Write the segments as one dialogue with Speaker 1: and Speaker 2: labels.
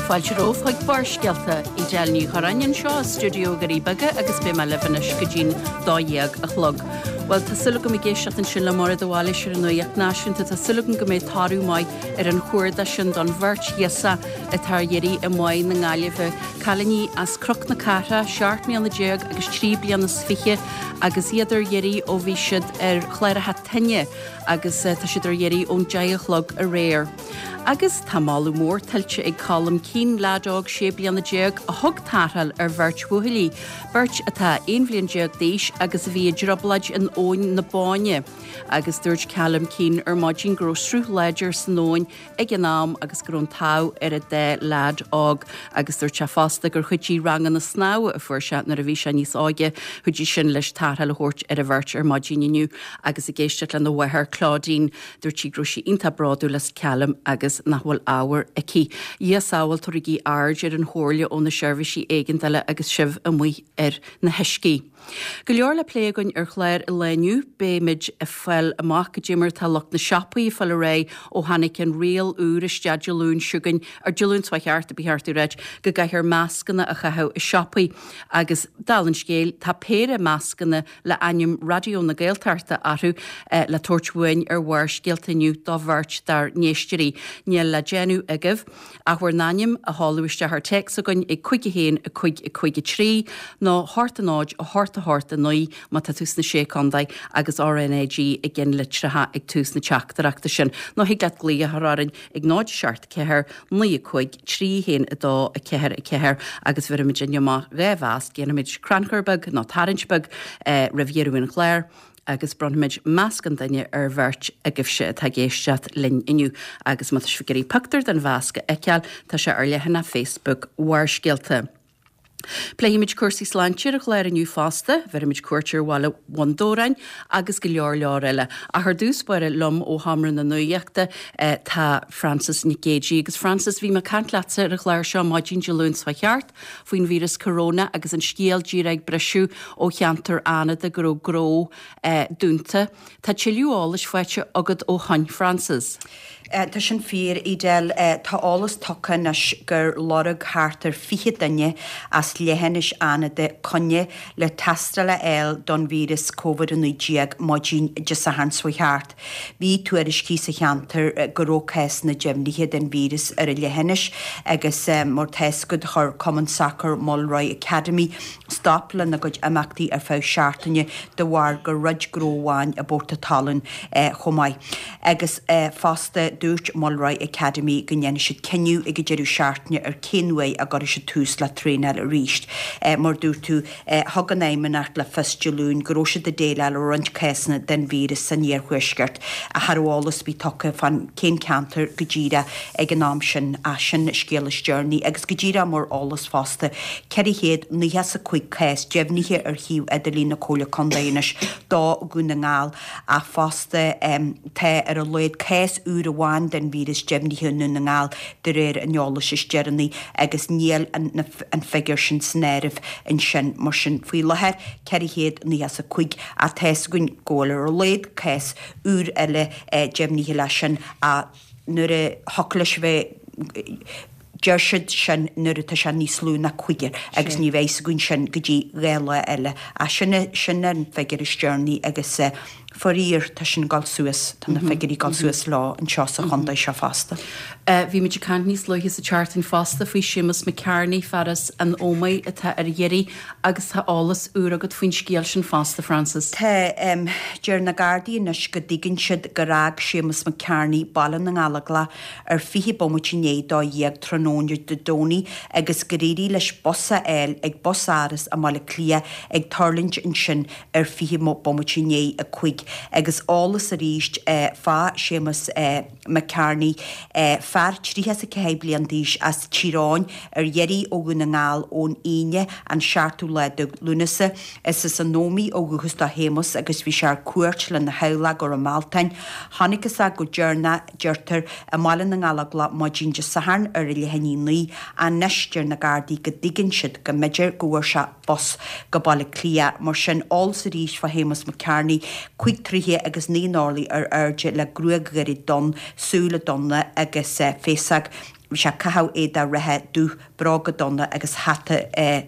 Speaker 1: Fáilte romhaibh chuig Barrscéalta, Edel Ní Churráin anseo i stiúideo Dhoirí Beaga agus beidh mé libh anois go dtí'n 12 a chlog. Bhuel, tá súil agam ag éisteacht ansin le Máire de Bhailís ar an Nuacht Náisiúnta, tá súil agam go mbeidh toradh maith ar an chuardach sin don bheirt ghirseach atá ar iarraidh i mBáigh na Gaillimhe, cailíní as Cnoc na Cathrach, 17 mbliana agus 3 bliana is fiche agus iad ar iarraidh ó bhí siad ar chláracha toinne agus tá siad ar iarraidh ón 10 a chlog aréir. Agus tá moladh mór tuillte ag Colm Keane, leaid óg 16 bliana a thug tarrtháil ar bheirt bhuachaillí, beirt atá 11 bhliain d'aois agus a bhí i dtrioblóid in Abhainn na Bóinne. Agus dúirt Colm Keane ar maidin go raibh sruth láidir san abhainn ag an am agus go raibh an t-ádh ar an dá leaid óg agus dúirt sé fosta gur chuidigh ranganna snámha a fuair sé nuair a bhí sé níos óige, chuidigh sin leis tarrtháil a thabhairt ar an bheirt ar maidin inniu agus ag éisteacht lena mháthair Claudine. Dúirt sí go raibh sí iontach bródúil as Calum agus nach bhfuil ábhar aici. Dhia sábháil, tabharaigí aird ar an chomhairle ó na seirbhísí éigeandála agus sibh amuigh ar na huiscí. Go leor le plé againn ar chlár an lae inniu. Beimid ag fáil amach goidé mar atá lucht na siopaí ag fáil ar aghaidh ó tháinig an riail úr isteach Dé Luain seo chugainn, ar Dé Luain seo thart, ba cheart a ráit, go gcaithfear mascanna a chaitheamh i siopaí. Agus dála an scéil, tá péire mascanna le ainm Raidió na Gaeltachta orthu le tabhairt uainn ar Bharrscéalta inniu do bheirt dár n-éisteoirí. Níl le déanamh agaibh ach bhur n-ainm a sheoladh isteach ar téacs chugainn ag 5 1 5 5 3 nó 8 0 8 8 9 má tá tú sna Sé Contae agus RnaG i gceannlitreacha ag tús na teachtaireachta sin. Nó thig leat glaoch a chur orainn ag 0 7 4 9 5 3 1 2 4 4 agus bhéarfaimid inniu amach 2 mhasc, déanfaimid crannchur beag nó tarraingt beag roimh dheireadh an chláir agus bronnfaimid masc an duine ar bheirt agaibhse atá ag éisteacht linn inniu. Agus má tá sibh ag iarraidh pictiúr den mhasc a fheiceáil, tá sé ar leathanach Facebook Bharrscéalta. Pléifimid cúrsaí sláinte ar an chlár inniu fosta, bhéarfaimid cuairt ar bhaile Bhun Dobhráin agus go leor leor eile. Ach ar dtús báire liom ó Sheomra na Nuachta tá Frances Nic Géadaigh. Agus Frances, bhí mé ag caint leatsa ar an chlár seo maidin Dé Luain seo thart faoin víreas corona agus an scéal díreach ag briseadh ó cheantar Fhánada go raibh gnó dúnta. Tá tuilleadh eolais faighte agat ó shoin, Frances.
Speaker 2: Tá sin fíor, Edel. Tá eolas tugtha anois gur lorg thart ar 20 duine as leithinis Fhánada coinne le tástáil a fháil don víreas Covid-19 maidin Dé Sathairn seo thart. Bhí tuairiscí sa cheantar go raibh cásanna deimhnithe den víreas ar an leithinis agus mar tá fhios agat chuir Cumann Sacair Mulroy Academy stop lena gcuid imeachtaí ar feadh seachtaine de bharr gur dhruid gnó amháin i bPort a' Talún chomh maith. Agus fosta, dúirt Mulroy Academy go ndéanfaidh siad cinneadh ag an deireadh seachtaine ar cén uair a gcuirfidh siad tús le traenáil arís. Mar dúirt tú, thug an Fheidhmeannacht le fios Dé Luain go raibh siad ag déileáil le roinnt cásanna den víreas san iarthuaisceart ach cha raibh eolas ar bith tugtha fán cén ceantar go díreach ag an am sin. Ach sin an scéal is deireanaí agus go díreach mar eolas fosta, 495 cás deimhnithe ar shuíomh idirlín na Comhairle Contae anois do Dhún na nGall. Ach fosta, tá ar a laghad cás úr amháin den víreas deimhnithe i nDún na nGall de réir an eolais is deireanaí agus níl an figiúr sin san áireamh ansin. Mar sin, faoi láthair, 495 ach tá fhios againn go bhfuil ar a laghad cás úr eile deimhnithe leis sin ach nuair a thiocfadh leis a bheith Deir siad sin nuair atá sé níos lú ná cúigear agus ní bheidh fhios againn sin go dtí 2 lá eile. Ach sin é, sin an figiúr is deireanaí agus faraor tá sin ag dul suas, tá na figiúirí ag dul suas leo anseo sa chontae seo fosta.
Speaker 1: Bhí muid ag caint níos luaithe sa tseachtain fosta faoi Séamus McCarney, fear as an Ómaigh atá ar iarraidh agus tá eolas úr agat faoin scéal sin fosta, Frances.
Speaker 2: Tá. Deir na Gardaí anois go dtuigeann siad gur fhág Séamus McCarney Baile na nGallóglach ar 20 bomaite i ndiaidh 12 tráthnóna Dé Domhnaigh agus gur éirigh leis bus a fháil ag bus-áras i mBaile Átha Cliath ag tuirlingt ansin ar 20 bomaite i ndiaidh 5 agus eolas arís fá Séamus McCarney, fear 34 bliain d'aois as Tír Eoghain ar iarraidh ó Dhún na nGall ón Aoine an 7ú lá de Lúnasa. Is as an Ómaigh ó dhúchas do Shéamus agus bhí sé ar cuairt lena theaghlach i gCora Mealtáin. Chonacthas é go deireanach deirtear, i mBaile na nGallóglach maidin Dé Sathairn ar a leath i ndiaidh 9. Anois deir na Gardaí go dtuigeann siad go mb'fhéidir go bhfuair sé bus go Baile Átha Cliath. Mar sin, eolas arís fá Shéamus McCarney, 5 troithe agus 9 n-orlaí ar airde le gruag ghairid donn, súile donna agus féasóg. Bhí sé ag caitheamh éadach reithe dubh, bróga donna agus hata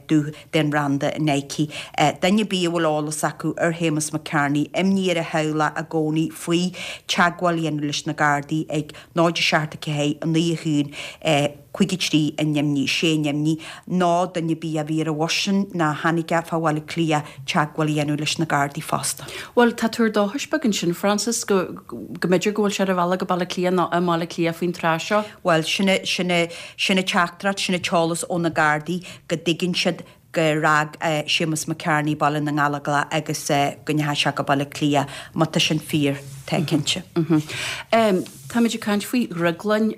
Speaker 2: dubh den bhranda Nike. Duine ar bith a bhfuil eolas acu ar Shéamus McCarney, imní ar a theaghlach i gcónaí faoi, teagmháil a dhéanamh leis na Gardaí ag 0 7 4 9 1 53 9 6 9 nó duine ar bith a bhí ar an bhus sin ná tháinig fá Bhaile Átha Cliath teagmháil a dhéanamh leis na Gardaí fosta.
Speaker 1: Bhuel, tá tuar dóchais beag ansin, Frances, go go mb'fhéidir go bhfuil sé ar a bhealach go Baile Átha Cliath nó i mBaile Átha Cliath faoin tráth seo.
Speaker 2: Bhuel, sin é, sin é, sin an teachtaireacht, sin an t-eolas ó na Gardaí go dtuigeann siad gur fhág Séamus McCarney Baile na nGallóglach agus go ndeachaigh sé go Baile Átha Cliath. Má tá sin fíor, tá cinnte.
Speaker 1: Táimid ag caint faoi dhrioglainn,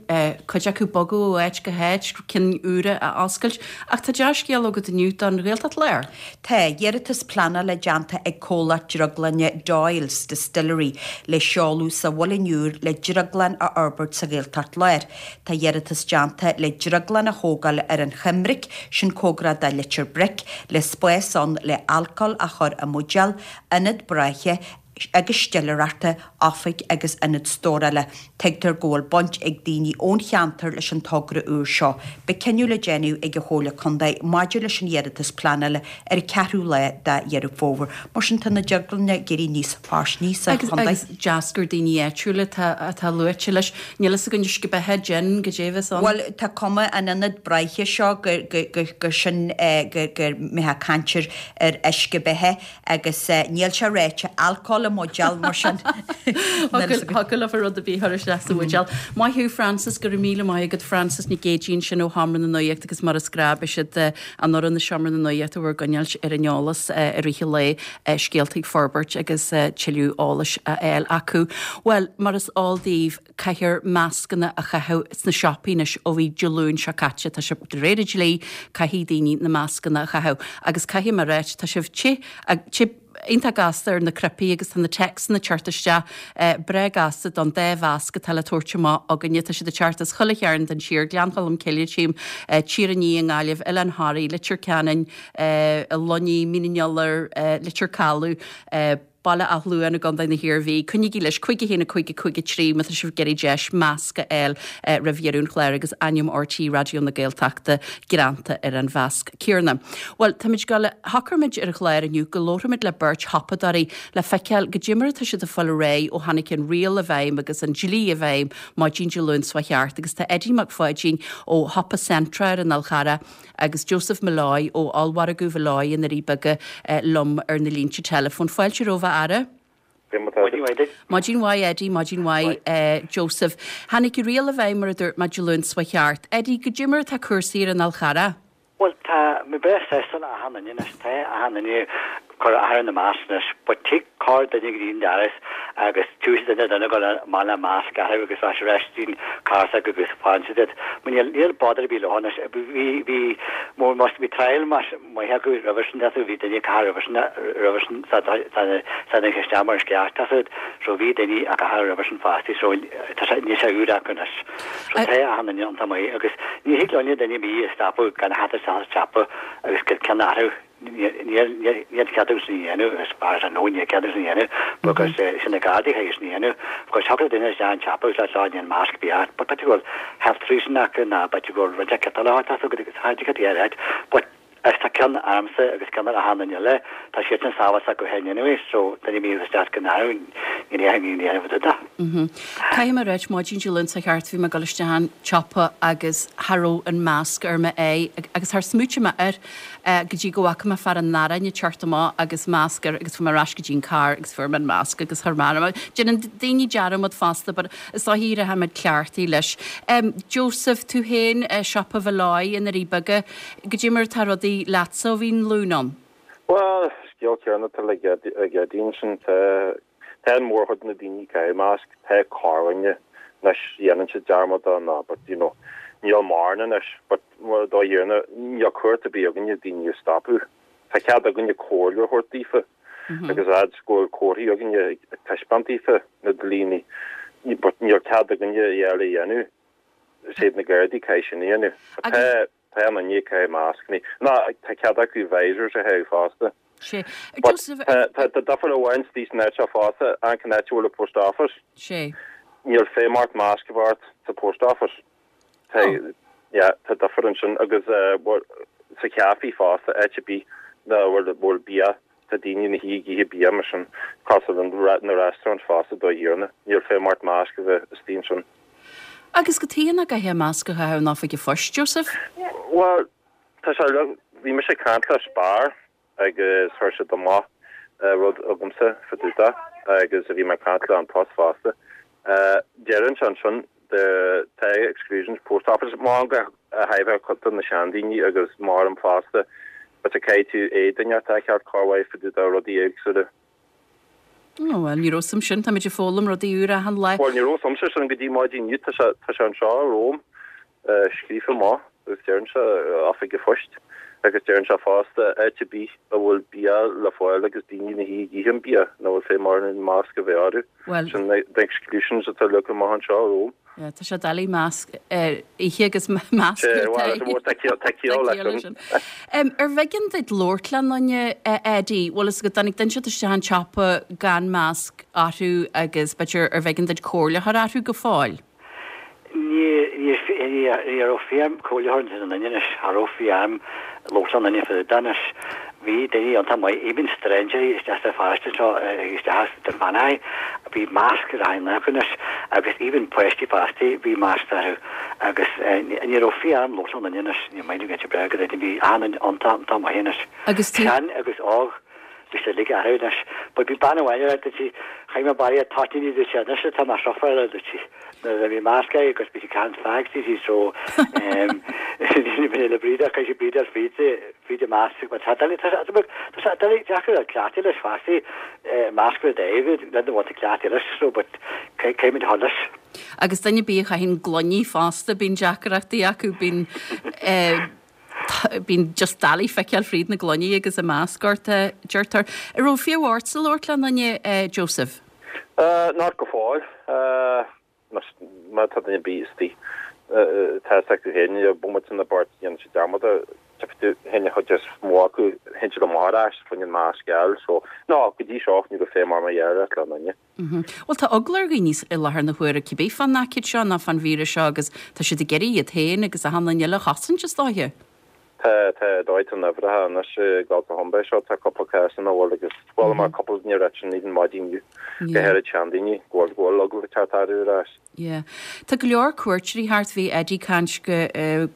Speaker 1: cuid acu bogadh ó áit go háit, cinn úra a oscailt, ach tá dea-scéal agat inniu don Ghaeltacht Láir.
Speaker 2: Tá iarratas pleanála déanta ag comhlacht drioglainne Doyle's Distillery le seoladh sa Mhuileann Iúr le drioglann a fhorbairt sa Ghaeltacht Láir. Tá iarratas déanta le drioglann a thógáil ar an Choimric, sin cóngarach do Leitir Bric, le spás ann le alcól a chur i mbuidéal, ionad braiche agus stiléireachta, oifig agus ionad stórála. Tuigtear go bhfuil baint ag daoine ón cheantar leis an togra úr seo. Beidh cinneadh le déanamh ag an Chomhairle Contae maidir leis an iarratas pleanála ar an 4ú lá de Dheireadh Fómhair. Mar sin tá na drioglanna ag éirí níos fairsinge sa
Speaker 1: chontae. Agus deas gur daoine áitiúla atá luaite leis. Níl fhios againn uisce beatha, gin, goidé a bheas ann.
Speaker 2: Bhuel, tá cuma an ionad braiche seo gur sin go mbeifeá ag caint ar uisce beatha agus níl sé ráite, alcól i mbuidéal mar sin.
Speaker 1: Thiocfadh leofa rud ar bith a chur isteach sa bhuidéal. Maith thú Frances, go raibh míle maith agat Frances Nic Géadaigh ansin ó Sheomra na Nuachta agus mar is gnáth beidh siad an fhoireann i Seomra na Nuachta bhur gcoinneáilt ar an eolas i rith an lae, scéalta ag forbairt agus tuilleadh eolais á fháil acu. Bhuel, mar is eol daoibh, caithfear mascanna a chaitheamh sna siopaí anois ó bhí Dé Luain seo caite. Tá sé de réir an dlí, caithfidh daoine na mascanna a chaitheamh. Agus caithfidh mé a ráit, tá sibh te, te iontach gasta ar na cnaipí agus tá na téacsanna ag teacht isteach breá gasta don dá mhasc atá le tabhairt amach againne. Tá siad ag teacht as chuile chearn den tír, Gleann Cholm Cille, tchím, Tír an Fhia i nGaillimh, Oileán Thoraí, Leitir Ceanainn, Luinnigh, Mín an Iolair, Leitir Caladh, Baile Átha Luain i gContae na hIarmhí. Coinnígí leis, 5 1 5 5 3 má tá sibh ag iarraidh deis masc a fháil roimh dheireadh an chláir agus ainm RTÉ Raidió na Gaeltachta greanta ar an mhasc céanna. Bhuel, táimid ag dul, shocraigh muid ar an chlár inniu go labharfaimid le beirt shiopadóirí le feiceáil goidé mar atá siad ag fáil ar aghaidh ó tháinig an riail i bhfeidhm agus an dlí i bhfeidhm maidin Dé Luain seo thart agus tá Eddie Mac Pháidín ó shiopa Centra ar an Fhál Charrach agus Joseph Molloy ó Ollmhargadh Mholloy i nDoirí Beaga liom ar na línte teileafóin. Fáilte romhaibh a fheara.
Speaker 3: Maidin mhaith duit.
Speaker 1: Maidin mhaith Eddie, maidin mhaith Joseph. Tháinig an riail i bhfeidhm mar a dúirt mé Dé Luain seo thart. Eddie, goidé mar atá cúrsaí ar an Fhál Charrach?
Speaker 3: Bhuel tá mé breá sásta le achan duine anois, tá achan duine ag cur air na masc anois, but tig corr duine go dtí an doras agus tiúrfaidh duine duine go maith le masc orthu agus rachaidh ar ais dtí an carr s'acu agus fanann siad iad. Mar níl níl bother ar bith leo anois. Bhí bhí mór más bhí trial más maith acu roimhe sin tá bhí duine ag caitheamh roimhe sin roimhe sin sa sa sa isteach mar is ceart tá siad so bhí duine ag caitheamh roimhe sin fosta so tá sé níl sé úr acu anois. So tá achan duine iontach maith agus ní thig linn duine ar bith a stopadh gan a theacht isteach sa tsiopa agus go ceann orthu. Níl cead acu sin a dhéanamh, as far as I know níl cead acu sin a dhéanamh because sin na Gardaí a chaithfidh sin a dhéanamh because thiocfadh le duine isteach an tsiopa agus le seo níl masc ar bith ort but b'fhéidir go bhfuil health reason acu ná b'fhéidir go bhfuil rud éicint eile acu tá a fhios agat but is tá ceann ormsa agus ceann ar achan duine eile tá siadsan sábháilte acu féin anyway so duine ar bith isteach go n-athrú ní dhéanfaidh ní dhéanfaidh rud
Speaker 1: de. Caithfidh mé a ráit maidin Dé Luain seo thart bhí mé ag dul isteach an tsiopa agus cha raibh an masc ar m'aghaidh agus char smaoitigh mé air go dtí go bhfaca mé fear an aráin ag teacht amach agus masc air agus fuair mé ar ais go dtí an carr agus fuair mé an masc agus chuir mé orm. Déanann daoine dearmad fosta but is dóichí rachaimid cleachtaithe leis. Joseph, tú féin, siopa Mholloy i nDoirí Beaga, goidé mar atá rudaí leatsa ó bhí an Luan ann?
Speaker 4: Bhuel, scéal céanna atá le ag Eddie ansin. Tá Tá an mhórchuid de na daoine ag caitheamh masc, tá corrdhuine anois dhéanann siad dearmad de ná but you know níl mórán anois but dá dhéanamh níl cumhacht ar bith againne daoine a stopadh. Tá cead againne comhairle a thabhairt daofa agus fhad 's go bhfuil comharthaí againne ag taispeáint daofa na dlíní but níl cead againne a dhath eile a dhéanamh. Is iad na Gardaí caithfidh sin a dhéanamh. Tá Tá an duine ag caitheamh mascannaí. Ná tá cead acu visors a chaitheamh fosta.
Speaker 1: Sé.
Speaker 4: But Joseph. tá tá tá difear amháin istigh san áit seo fosta, an an áit a bhfuil an post office.
Speaker 1: Sé.
Speaker 4: Níl feidhm ort masc a bheith ort sa post office. Tá, yeah, tá difear ansin agus sa chaife fosta, áit ar bith ina bhfuil bia, tá daoine ina shuí ag ithe bia mar sin, cosúil le na restaurants fosta dá thiarna, níl feidhm ort masc a bheith istigh ansin.
Speaker 1: Agus cad chuige nach gcaithfeá masc a chaitheamh in oifig an phoist, Joseph?
Speaker 4: Bhuel, tá sé, bhí mise ag caint le Spar agus chuir siad amach rud agamsa fá dtaobh de agus bhí mé ag caint le An Post fosta. Deireann sé ansin the tá exclusions post office mar go háirithe cuid de na seandaoine agus maram fosta but caithfidh tú éadan a cheart cur uaidh fá dtaobh de rudaí éagsúla.
Speaker 1: Ó bhuel, ní raibh 's a'm sin, táimid ag foghlaim rudaí úra achan lá.
Speaker 4: Bhuel, ní raibh 's a'msa sin go dtí maidin inniu, tá sé, tá sé anseo romham, scríofa amach agus deireann sé Oifig an Phoist agus deireann sé fosta áit ar bith a bhfuil bia le fáil agus daoine ina shuí ag ithe an bia, nach bhfuil feidhm orainn masc a bheith orthu.
Speaker 1: Bhuel.
Speaker 4: Sin na exclusions atá leagtha amach anseo romham.
Speaker 1: Yeah, tá sé doiligh masc a ithe agus masc
Speaker 4: ar do aghaidh. Tá ciall leis sin.
Speaker 1: Ar bh'éigean duit labhairt le duine, a Eddie, bhfuil fhios agat, dtáinig duine inteacht isteach an tsiopa gan masc orthu agus b'fhéidir ar bh'éigean duit comhairle a chur orthu go fóill?
Speaker 3: Ní raibh fonn orm comhairle a thabhairt don duine anois, cha raibh fonn orm labhairt le duine fá dtaobh de anois. Bhí daoine iontach maith, even stranger isteach sa pharóiste anseo, isteach sa Bheannaithe, bhí masc ar achan duine acu anois agus even páistí fosta, bhí masc orthu agus ní raibh fonn orm labhairt le duine anois, ní maith liom go breá go deimhin, bhí achan duine iontach, iontach maith anois.
Speaker 1: Agus tú.
Speaker 3: Sean agus óg. Bhí sé uilig orthu anois. But bhí bean amháin a dúirt sí, chaith mé barraíocht toitíní dúirt sí, anois atá mé sufferáil dúirt sí. Nuair a bhí masc uirthi agus bhí sí ag caint fags dúirt sí so ehm bhí le brídeach chaith sí brídeach fríd fríd an masc but tá doiligh tá sé tá sé doiligh deacair a cleachtadh leis fosta masc ar d'aghaidh le do bhfuil tú cleachtaithe leis so but caithfimid a dhul leis.
Speaker 1: Agus duine ar bith a chaitheann gloiní fosta bíonn deacrachtaí acu bíonn eh Bíonn just doiligh feiceáil fríd na gloiní agus an masc ort, a deirtear. An raibh fiú ortsa labhairt le duine, Joseph?
Speaker 4: Not go fóill. Má tá duine ar bith istigh, tá fhios acu féin, bomaite na bpáirt dhéanann siad dearmad air. Tiocfaidh tú féin an chuid is mó acu, théann siad amach ar ais fá choinne an masc a fháil. So, no, go dtí seo ní raibh feidhm orm a labhairt le duine.
Speaker 1: Bhuel, tá eagla ar dhaoine i láthair na huaire cibé fán aicíd seo nó fán víreas seo agus tá siad ag iarraidh iad féin agus achan duine eile a chosaint, is dóiche.
Speaker 4: Tá, tá, dóigh, tá na huimhreacha anois ag dul go chomh seo, tá cúpla cás ina bhfuil agus chuala mé cúpla duine ag ráit sin even maidin inniu, go háirid seandaoine, go bhfuil, go bhfuil eagla ag teacht orthu ar ais.
Speaker 1: Yeah. Tá go leor cuairteoirí thart, bhí Eddie ag caint go,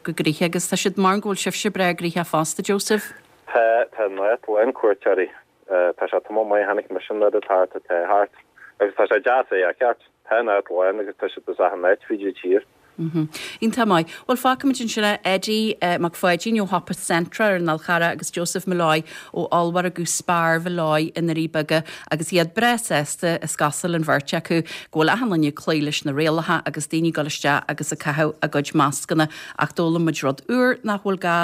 Speaker 1: go gnoitheach agus tá siad, mar go bhfuil sibhse breá gnoitheach fosta, Joseph.
Speaker 4: Tá, tá an áit lán cuairteoirí. Tá sé tamall maith chonaic mise an oiread thart atá thart agus tá sé deas é a cheart. Tá an áit lán agus tá siad as achan áit fríd an tír.
Speaker 1: Iontach maith. Bhuel, fágfaimid ansin é. Eddie Mac Pháidín ó Shiopa Centra ar an Fhál Charrach agus Joseph Molloy ó ollmhargadh Spar Mholloy i nDoirí Beaga agus iad breá sásta, is cosúil, an bheirt acu, go bhfuil achan duine ag cloí leis na rialacha agus daoine ag dul isteach agus ag caitheamh a gcuid mascanna ach d'fhoghlaim muid rud úr nach bhfuil gá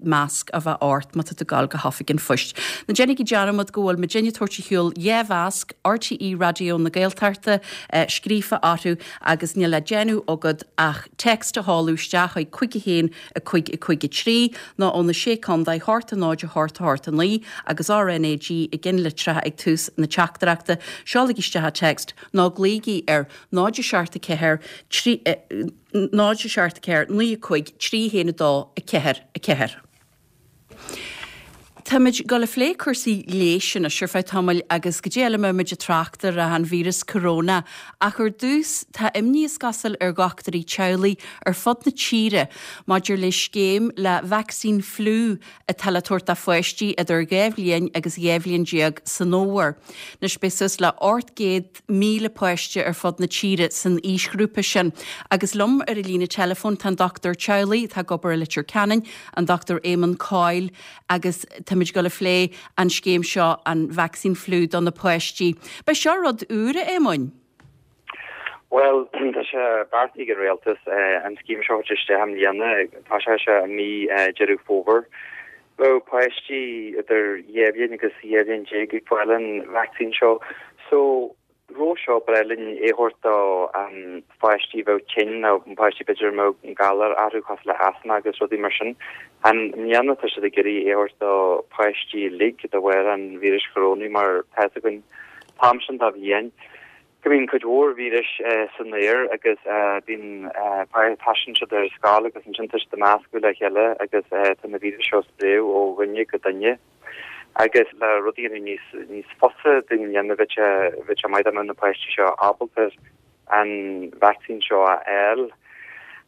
Speaker 1: masc a bheith ort má tá tú ag gabháil go hoifig an phoist. Ná déanaigí dearmad go bhfuil muidinne ag tabhairt ar shiúl 2 mhasc RTÉ Raidió na Gaeltachta scríofa orthu agus níl le déanamh agat ach text a sheoladh isteach chuig 5 1 5 5 3 nó ó na Sé Contae 8 0 8 8 9 agus RNAG i gceannlitreacha ag tús na teachtaireachta. Seolaigí isteach an text nó glaoigí ar 0 7 4 3 0 7 4 9 5 3 1 2 4 4. Táimid ag dul a phlé cúrsaí leighis anois ar feadh tamaill agus goidé eile a mbeidh muid ag trácht ar ach an víreas corona. Ach ar dtús, tá imní is cosúil ar dhochtúirí teaghlaigh ar fud na tíre maidir le scéim le vacsaín fliú atá le tabhairt do pháistí idir 2 bhliain agus 12 bhliain san fhómhar. Anois beidh suas le 800 8,000 páiste ar fud na tíre san aoisghrúpa sin. Agus liom ar an líne teileafóin tá an dochtúir teaghlaigh atá ag obair i Leitir Ceanainn, an Dr Éamonn Coyle agus táimid ag dul a phlé an scéim seo, an vacsaín fliú do na páistí. B'é seo rud úr, a Éamoinn?
Speaker 5: Bhuel, tá sé beartaithe ag an Rialtas an scéim seo a thabhairt isteach i mbliana. Tosóidh sé i mí Deireadh Fómhair. Bheadh páistí idir 2 bhliain agus 12 bhliain ag fáil an vacsaín seo. So, roimhe seo, ba ghnách linn é a thabhairt do pháistí a bheadh tinn nó páistí b'fhéidir a mbeadh galar orthu cosúil le asma agus rudaí mar sin. I mbliana tá siad ag iarraidh é a thabhairt do pháistí uilig de bharr an víris chorónaigh mar tá fhios againn an t-am sin de bhliain. Go mbíonn cuid mhór víris san aer agus bíonn, taisteann siad ar scoil agus ansin tá siad ag meascadh le chéile agus tá na víris seo ag spréadh ó dhuine go duine. Agus le rudaí a dhéanamh níos, níos fusa dúinn a dhéanamh bheadh sé, bheadh sé maith dá mbeadh na páistí seo ábalta an vacsaín seo a fháil.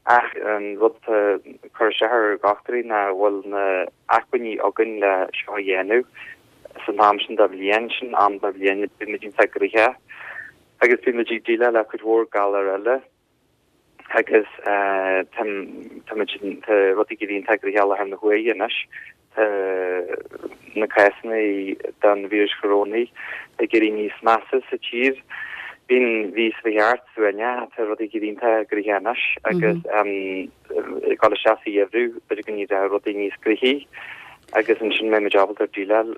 Speaker 5: Ach an rud atá ag cur isteach ar dhochtúirí ná bhfuil na acmhainní againn le seo a dhéanamh. San am sin de bhliain, sin am de bhliain, bíonn muid iontach gnoitheach agus bíonn muid ag déileáil le cuid mhór galar eile agus tá tá muid tá rudaí ag éirí iontach gnoitheach i láthair na huaire anois. Tá na cásanna den víreas chorónaigh ag éirí níos measa sa tír. Bíonn bhí sa cheart suaimhneach, tá rudaí ag éirí iontach gnoitheach anois agus ag dul isteach sa gheimhreadh, b'fhéidir go n-éireoidh rudaí níos gnoithí agus ansin mbeidh muid ábalta déileáil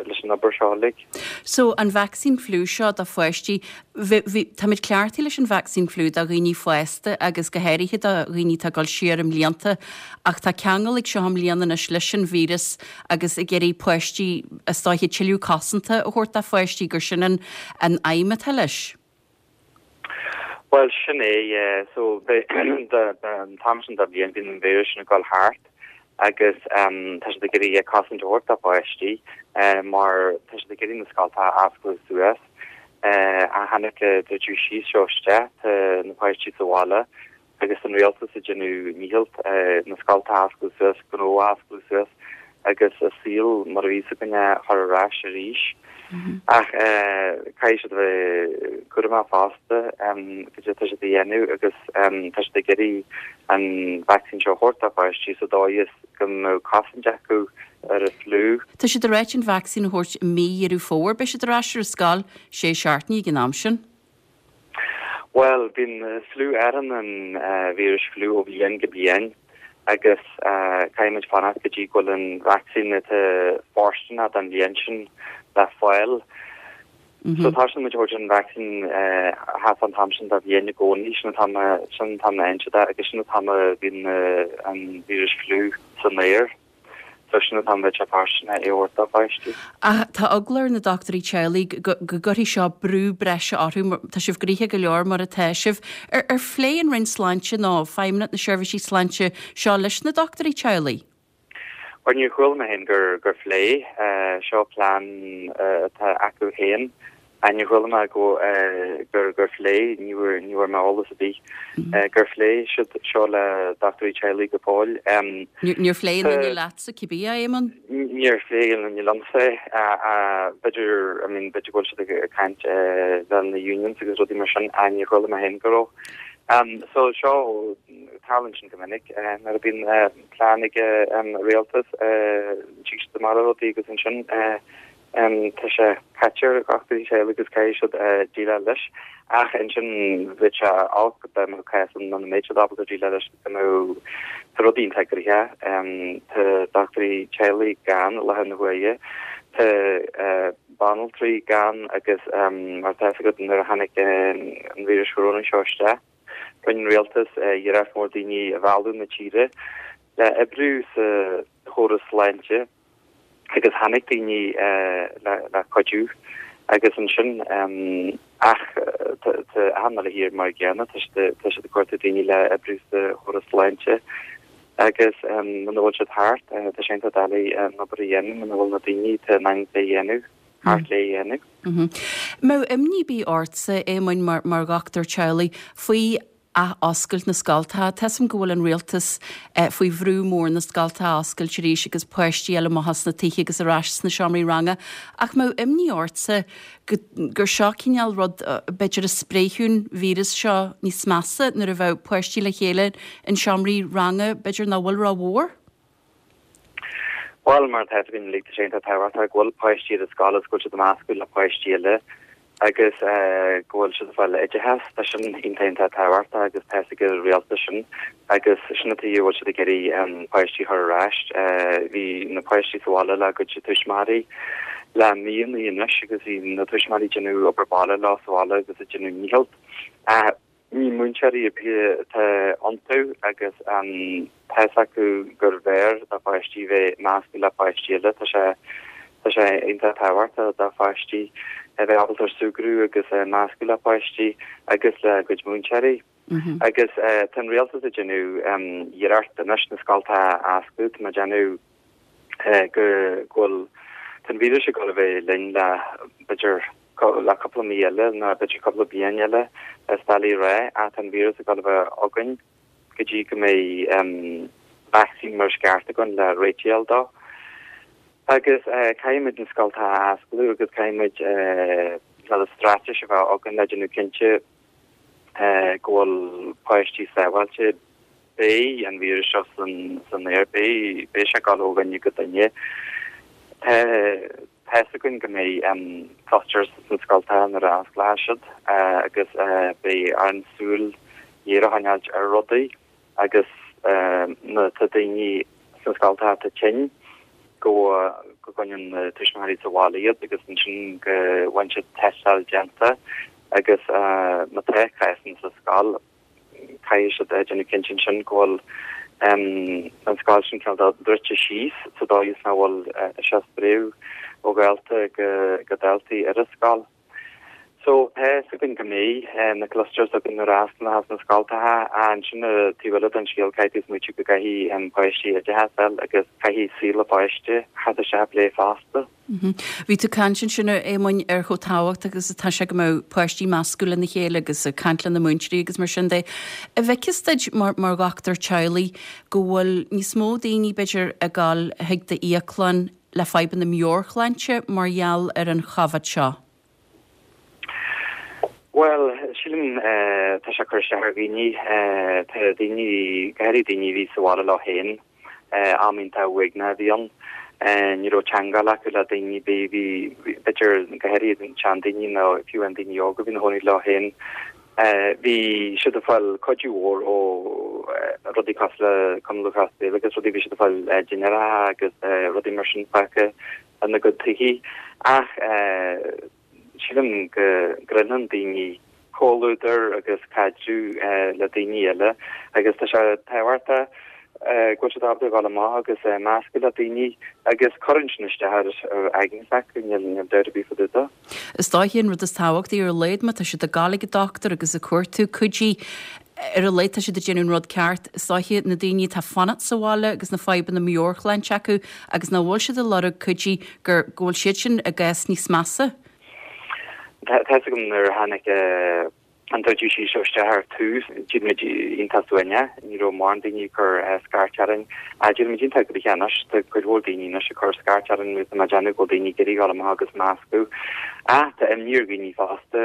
Speaker 5: leis an obair seo uilig.
Speaker 1: So, an vacsaín fliú seo do pháistí, bhí, bhí, táimid cleachtaithe leis an vacsaín fliú do dhaoine fásta agus go háirithe do dhaoine atá ag dul siar i mblianta ach tá ceangal ag seo i mbliana anois leis an víreas agus ag iarraidh páistí, is dóiche, tuilleadh cosanta a thabhairt do pháistí gur sin an, an aidhm atá leis.
Speaker 5: Bhuel, sin é, yeah. So, an t-am sin de bhliain, bíonn an víreas sin ag dul thart agus tá siad ag iarraidh cosaint a thabhairt do pháistí mar tá siad ag iarraidh na scoltacha a oscailt suas. Ó tháinig an druideadh síos seo isteach, tá na páistí sa bhaile agus an rialtas ag déanamh nícheall na scoltacha a oscailt suas, gnó a oscailt suas agus an saol mar a bhí a fhios againn a chur ar ais arís. Ach caithfidh siad a bheith cúramach fosta cad é atá siad a dhéanamh agus tá siad ag iarraidh an vacsaín seo a thabhairt do pháistí sa dóigh is go mbeadh cosaint acu ar an fliú.
Speaker 1: Tá siad ag ráit an vacsaín a thabhairt i mí Dheireadh Fómhair. Beidh siad ar ais ar an scoil sé seachtainí ag an am sin.
Speaker 5: Bhuel, bíonn fliú, athraíonn an víreas fliú ó bhliain go bliain agus caithfidh muid fanacht go dtí go bhfuil an vacsaín atá fóirsteanach don bhliain sin le fáil. So tosaíonn muid a thabhairt an vacsaín thart fán t-am sin de bhliain i gcónaí, sin an t-am sin an t-am a fhaigheann siad é agus sin an t-am a bhíonn an víreas fliú san aer. So sin an t-am a bheadh sé fóirsteanach é a thabhairt do pháistí.
Speaker 1: Ach tá eagla ar na dochtúirí teaghlaigh go gcuirfidh seo brú breise orthu, tá sibh gnoitheach go leor mar atá sibh. Ar phléigh an Roinn Sláinte nó Feidhmeannacht na Seirbhísí Sláinte seo leis na dochtúirí teaghlaigh?
Speaker 5: Bhuel, níor chuala mé féin gur phléigh. Seo plean atá acu féin. Níor chuala mé go gur gur phléigh, ní bhfuair ní bhfuair mé eolas ar bith gur phléigh siad seo le dochtúirí teaghlaigh go fóill.
Speaker 1: Níor phléigh aon duine leatsa cibé, a Éamonn?
Speaker 5: Níor phléigh aon duine liomsa é. B'fhéidir, I mean, b'fhéidir go bhfuil siad ag caint le na unions agus rudaí mar sin, níor chuala mé féin go raibh. So seo, tarlaíonn sin go minic nuair a bhíonn plean ag an rialtas, tig siad amach le rudaí agus ansin Tá sé caite ar dhochtúirí teaghlaigh agus caithfidh siad déileáil leis. Ach ansin bheadh sé olc dá mbeadh cás ann nach mbeadh siad ábalta déileáil leis go mbeadh tá rudaí iontach gnoitheach. Tá dochtúirí teaghlaigh gann i láthair na huaire. Tá banaltraí gann agus mar atá fhios agat nuair a tháinig an víreas chorónaigh seo isteach, rinne an rialtas iarracht mhór daoine a mhealladh na tíre le oibriú sa chóras sláinte. agus tháinig daoine le cuidiú agus ansin ach tá achan uile thír mar an gcéanna, tá siad ag cuartú daoine le oibriú sa chóras sláinte agus muna bhfuil siad thart, tá sé iontach doiligh an obair a dhéanamh muna bhfuil na daoine atá in ann é a dhéanamh thart le é a dhéanamh.
Speaker 1: Mbeadh imní ar bith ortsa, Éamoinn, mar dhochtúir teaghlaigh, faoi ath-oscailt na scoltacha. Tá 'fhios a'm go bhfuil an rialtas faoi bhrú mór na scoltacha a oscailt arís agus páistí a fháil amach as na tithe agus ar ais sna seomraí ranga. Ach mbeadh imní ortsa go gur seo cineál rud b'fhéidir a spréifeadh an víreas seo níos measa nuair a bheadh páistí le chéile in seomraí ranga b'fhéidir nach bhfuil ró-mhór?
Speaker 5: Bhuel, mar atá fhios againn uilig, tá sé iontach tábhachtach go bhfuil páistí ar an scoil agus go bhfuil siad ag meascadh le páistí eile agus go bhfuil siad ag fáil oideachas. Tá sin iontach iontach tábhachtach agus tá fhios ag an rialtas sin agus sin an tuige a bhfuil siad ag iarraidh páistí a chur ar ais. Bhí na páistí sa bhaile le a gcuid tuismitheoirí le míonna anois agus bhí na tuismitheoirí ag déanamh obair baile leo sa bhaile agus ag déanamh nícheall. Ní múinteoirí ar bith atá iontu agus tá fhios acu gurbh fhearr do pháistí bheith measctha le páistí eile. Tá sé tá sé iontach tábhachtach do pháistí. a bheith ábalta ar súgradh agus meascadh le páistí agus le a gcuid múinteoirí. Agus tá an rialtas ag déanamh iarracht anois na scoltacha a oscailt, tá mé ag déanamh go bhfuil tá an víreas ag dul a bheith linn le b'fhéidir le cúpla mí eile nó b'fhéidir cúpla bliain eile is doiligh a rá ach tá an víreas ag dul a bheith againn go dtí go mbeidh vacsaín mar is ceart againn le réiteach a fháil dó. Agus caithfidh muid na scoltacha a osclú agus caithfidh muid cineál straitéis a bheith againn le déanamh cinnte go bhfuil páistí sábháilte. Beidh an víreas seo san aer, beidh sé ag dul ó dhuine go duine. Tá fhios againn go mbeidh clusters sna scoltacha nuair a osclóidh siad agus beidh orainn súil ghéar a choinneáilt ar rudaí agus má tá daoine sna scoltacha atá tinn go go gcoinníonn na tuismitheoirí sa bhaile iad agus ansin go bhfaigheann siad tástáil déanta agus má tá cásanna sa scoil caithfidh siad a déanamh cinnte ansin go bhfuil an scoil sin cineál druidte síos sa dóigh is nach bhfuil sé ag spréadh ó dhalta go daltaí ar an scoil. So tá fhios againn go mbeidh na clusters againn nuair a osclóchas na scoltacha ach ansin taobh eile den scéal caithfidh tú smaoitiú go gcaithfidh páistí oideachas a fháil agus caithfidh saol an pháiste theacht isteach i bplé fosta.
Speaker 1: Bhí tú ag caint ansin, a Éamoinn, ar chomh tábhachtach agus atá sé go mbeadh páistí meascadh lena chéile agus ag caint lena múinteoirí agus mar sin de. An bhfeiceas duit, mar dhochtúir teaghlaigh, go bhfuil níos mó daoine, b'fhéidir, ag dul chuig d'íoclann le fadhbanna meabhairshláinte mar gheall ar an Chovid seo?
Speaker 5: Bhuel, sílim, tá sé ag cur isteach ar dhaoine. Tá daoine, go háirithe daoine a bhí sa bhaile leo féin, Am iontach uaigneach a bhí ann. Ní raibh teangmháil acu le daoine ar bith. Bhí, b'fhéidir, go háirithe na seandaoine nó fiú amháin daoine óga a bhí ina chónaí leo féin, bhí siad ag fáil cuidiú mhór ó rudaí cosúil le Cumann Lúthchleas Gael agus rudaí, bhí siad ag fáil dinnéaracha agus rudaí mar sin fágtha ina gcuid tithe. Ach sílim go gcroitheann daoine comhluadar agus caidreamh le daoine eile agus tá sé tábhachtach go bhfuil siad ábalta a dhul amach agus meascadh le daoine agus cuireann sin isteach ar aigne s'acu, níl dabht ar bith fá dtaobh de.
Speaker 1: Is dóiche an rud is tábhachtaí ar a laghad má tá siad ag gabháil ag an dochtúir agus ag cuartú cuidí, ar a laghad tá siad ag déanamh an rud ceart. Is dóiche na daoine atá ag fanacht sa bhaile agus na fadhbanna meabhairshláinte acu agus nach bhfuil siad ag lorg cuidí gur go bhfuil siad sin i gcás níos measa.
Speaker 5: Tá fhios agam nuair a tháinig an druideadh síos seo isteach ar tús, d'éirigh muid iontach uaigneach, ní raibh mórán daoine ag cur scairt orainn. Ach d'éirigh muid iontach gnoitheach anois, tá cuid mhór daoine anois ag cur scairt orainn agus tá mé ag déanamh go bhfuil daoine ag iarraidh dul amach agus meascadh. Ach tá imní ar dhaoine fosta,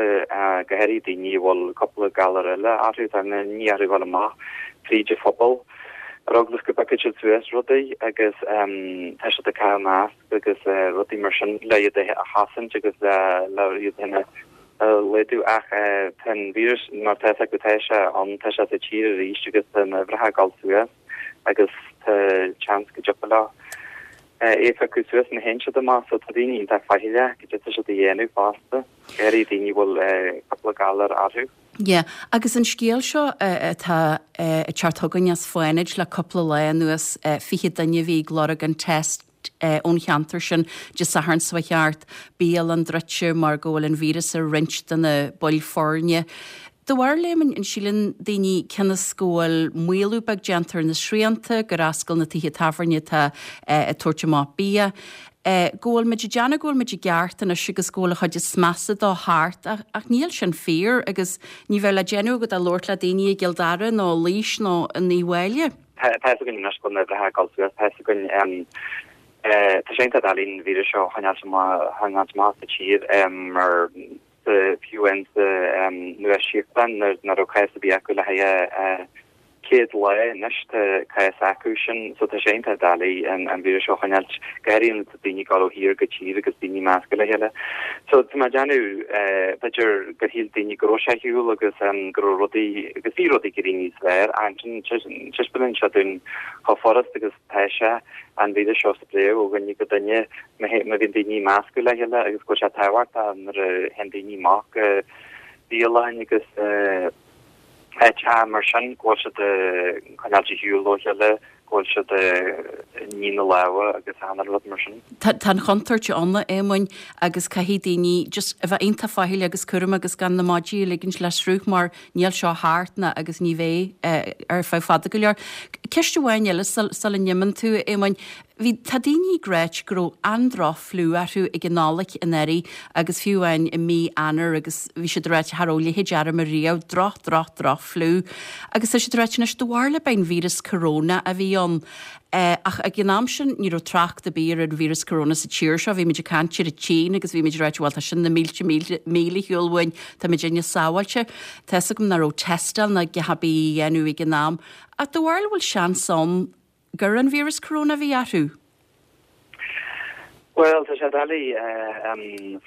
Speaker 5: go háirithe daoine a bhfuil cúpla galar eile orthu, tá imní orthu dul amach fríd an phobal ar eagla go bpiocfaidh siad suas rudaí agus tá siad ag caitheamh masc. agus rudaí mar sin le iad a chosaint agus le iad féin a laghdú ach tá an víreas mar tá fhios acu tá sé ann, tá sé sa tír arís agus tá na huimhreacha ag dul suas agus tá seans go dtiocfadh leo é a phiocadh suas má théann siad amach so tá daoine iontach faichilleach goidé atá siad a dhéanamh fosta, go háirithe daoine a bhfuil cúpla galar orthu.
Speaker 1: Yeah. Agus an scéal seo atá ag teacht chugainn as Fánaid le cúpla lá anuas, 20 duine a bhí ag lorg an test ón cheantar sin Dé Sathairn seo chuaigh thart, bialann druidte mar go bhfuil an víreas ar roinnt de na baill foirne. Do bharúil, a Éamoinn, an síleann daoine cionn is go bhfuil maolú beag déanta ar na srianta, gur oscail na tithe tábhairne atá ag tabhairt amach bia, go bhfuil muid ag déanamh go bhfuil muid i gceart anois agus go bhfuil an chuid is measa dó thart ach níl sin fíor agus ní bheadh le déanamh agat ach labhairt le daoine i gCill Dara nó i Laois nó in Uíbh Fhailí.
Speaker 5: Tá fhios againn anois go bhfuil na huimhreacha ag dul suas, tá fhios againn, tá sé iontach doiligh an víreas seo a choinneáilt amach as an tír mar fiú amháin sa Nua Sealainn nuair nach raibh cás ar bith acu le haghaidh 100 lá anois tá cás acu sin so tá sé iontach doiligh an víreas seo a choinneáilt go háirithe nuair atá daoine ag dul ó thír go tír agus daoine ag meascadh le chéile. So tá mé ag déanamh b'fhéidir gur shíl daoine go raibh sé ar shiúl agus go raibh rudaí agus bhí rudaí ag éirí níos fearr ansin taispeánann sé dúinn chomh furast agus tá sé an víreas seo a spréadh ó dhuine go duine má bhíonn daoine ag meascadh le chéile agus go bhfuil sé tábhachtach nuair a théann daoine amach go bialann agus áiteacha mar sin go bhfuil siad ag coinneáilt ar shiúl ó chéile. Go bhfuil siad ag ní na lámha agus achan rud mar sin.
Speaker 1: Tá an chontúirt ann, a Éamoinn, agus caithfidh daoine just a bheith iontach faichilleach agus cúramach agus gan na maidí a ligint le sruth mar níl seo thart ná agus ní bheidh ar feadh fada go leor. Ceist amháin eile sula n-imíonn tú, a Éamoinn. Bhí, tá daoine ag ráit go raibh an-droch-fhliú orthu ag an Nollaig anuraidh agus fiú amháin i mí Eanáir agus bhí siad ag ráit cha raibh a leithéid orm ariamh, droch, droch, droch-fhliú. Agus tá siad ag ráit anois do bharúil ab é an víreas corona a bhí ann. Ach ag an am sin ní raibh trácht ar bith ar an víreas corona sa tír seo, bhí muid ag caint ar an tSín agus bhí muid ag ráit bhuel tá sin na mílte míle míle ar shiúl uainn, tá muidinne sábháilte. Tá fhios agam nach raibh tástáil ná a dhath ar bith á dhéanamh ag an am. Ach do bharúil bhfuil seans ann gur an víreas corona a bhí orthu?
Speaker 5: Bhuel, tá sé doiligh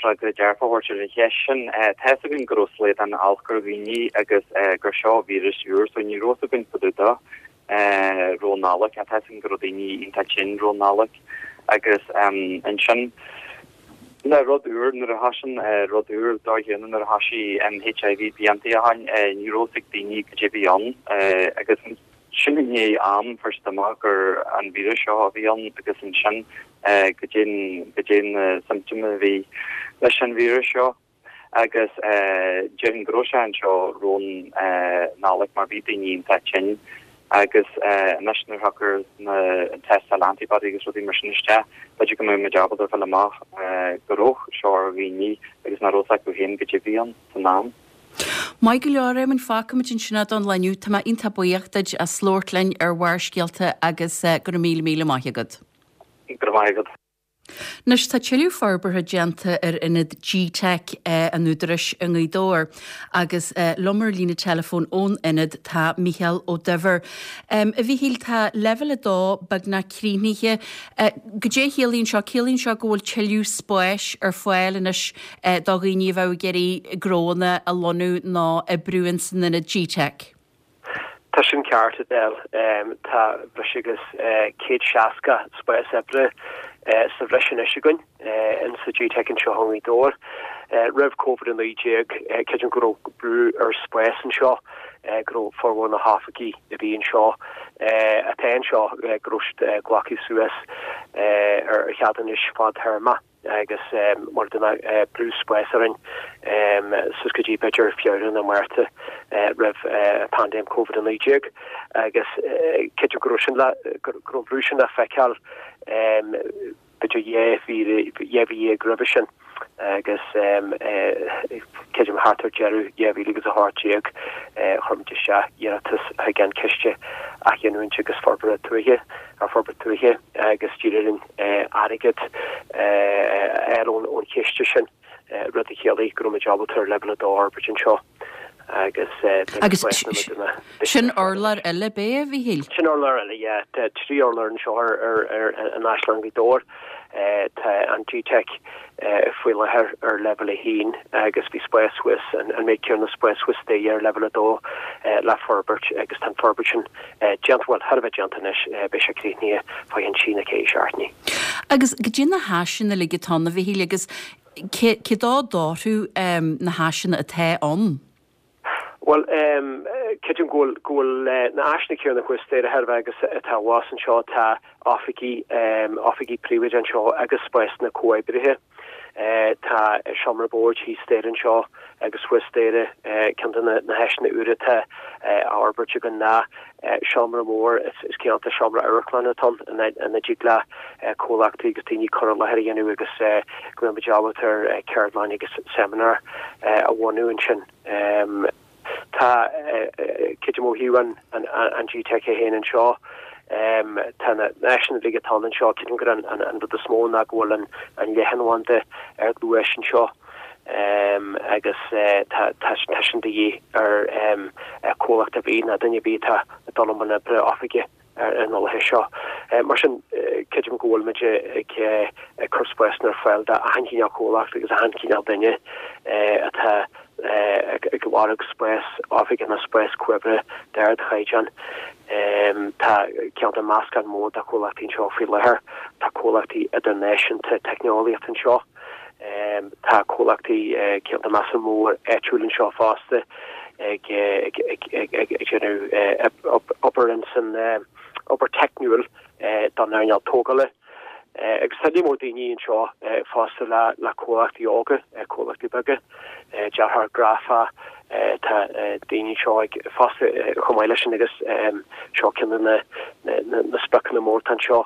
Speaker 5: freagra dearfach a thabhairt ar an cheist sin. Tá fhios againn go raibh slaghdán olc ar dhaoine agus gur seo víreas úr, so ní raibh fhios againn fá dtaobh dó roimh an Nollaig. Tá fhios againn go raibh daoine iontach tinn roimh an Nollaig agus ansin le rud úr, nuair a thosaíonn rud úr dóigh chéanna nuair a thosaigh HIV blianta ó shin, ní raibh fhios ag daoine cad é a bhí ann agus Sin i ndiaidh am fuair siad amach gur an víreas seo a bhí ann agus ansin goidé goidé na symptoms a bhí leis an víreas seo agus déarfainn go raibh sé anseo roimh an Nollaig mar bhí daoine iontach tinn agus anois nuair a thiocfas na an tástáil antibody agus rudaí mar sin isteach b'fhéidir go mbeidh muid ábalta fáil amach go raibh seo ar dhaoine agus nach raibh fhios acu féin goidé a bhí ann san am.
Speaker 1: Maith go leor, Éamonn, fágfaimid ansin é don lá inniu. Tá mé iontach buíoch duit as labhairt linn ar Bharrscéalta agus go raibh míle míle maith agat.
Speaker 5: Go raibh maith agat.
Speaker 1: Anois tá tuilleadh forbartha déanta ar ionad G-Teic an Údaráis i nGaoth Dobhair agus liom ar líne teileafóin ón ionad tá Mícheál Ó Duibhir. A Mhíchíl, tá leibhéal 2 beagnach críochnaithe. Goidé a chiallaíonn seo? Ciallaíonn seo go bhfuil tuilleadh spáis ar fáil anois do dhaoine a bheadh ag iarraidh gnóanna a lonnú nó oibriú ins an ionad G-Teic.
Speaker 6: Tá sin ceart, Edel. Tá breis agus 160 spás oibre sa bhreis anois againn insa G-Teic anseo i nGaoth Dobhair. Roimh Covid-19, creidim go raibh brú ar spás anseo, go raibh formhór na hoifigí a bhí anseo, atá anseo, go raibh siad glactha suas ar cheadúnais fadtéarma. agus mar a dúirt mé brú spáis orainn suas go dtí b'fhéidir Feabhra nó Márta roimh paindéim Covid-19 agus creidim go raibh sin le go raibh an brú sin le feiceáil b'fhéidir 12 mhí roimhe sin agus creidim thart ar deireadh 2018 chuir muid isteach iarratas chuig an Ciste Athghiniúint agus Forbartha Tuaithe ar Forbairt Tuaithe agus d'iarr orainn airgead a fháil ón chiste sin, rud a chiallaigh go raibh muid ábalta ar leibhéal 2 a fhorbairt anseo agus
Speaker 1: Agus sin urlár eile, ab é, a Mhíchíl?
Speaker 6: Sin urlár eile, yeah. Tá 3 urlár anseo ar an Áislann Ghaoth Dobhair. Tá an G-Teic faoi láthair ar leibhéal 1 agus bhí spás thuas, an méid céanna spáis thuas staighre ar leibhéal 2 le forbairt agus tá an forbairt sin déanta, bhuel, thar a bheith déanta anois, beidh sé críochnaithe fá cheann trí nó ceithre seachtainí.
Speaker 1: Agus goidé na háiseanna uilig atá ann, a Mhíchíl, agus cé cé dó d'orthu na háiseanna atá ann?
Speaker 6: Bhuel, creidim go bhfuil, go bhfuil na háiseanna céanna thuas staighre thar a bheith agus atá abhus anseo. Tá oifigí, oifigí príobháideacha anseo agus spásanna comhoibrithe. Tá seomra boird thíos staighre anseo agus thuas staighre. Ceann de na háiseanna úra atá á fhorbairt againn ná seomra mór, is cineál de seomra amharclainne atá ann, ina dtig le comhlachtaí agus daoine cur i láthair a dhéanamh agus go mbeidh muid ábalta ar ceardlann agus seimineár a bhunú ansin. Tá, creidim ó thaobh an G-Teic é féin anseo, tá na háiseanna uilig atá ann anseo, creidim gur an rud is mó ná go bhfuil an leathanbhanda ar gluais anseo agus tá sin de dhíth ar comhlacht ar bith ná duine ar bith atá ag dul i mbun oibre oifige. ar an láthair seo. Mar sin, creidim go bhfuil muid ag cur spásanna ar fáil d'achan chineál comhlacht agus achan chineál duine atá ag lorg spás oifige nó spás comhoibrithe d'ardchaighdeán. Tá cineál de meascán mór de chomhlachtaí anseo faoi láthair. Tá comhlachtaí idirnáisiúnta teicneolaíochta anseo. Tá comhlachtaí cineál de meascán mór áitiúil anseo fosta ag déanamh obair ins an. obair teicniúil don earnáil tógála. Agus tá líon mór daoine anseo fosta le comhlachtaí óga, comhlachtaí beaga, dearthóir grafach, tá daoine anseo ag fosta chomh maith leis sin agus seo ceann de na spriocanna mór atá anseo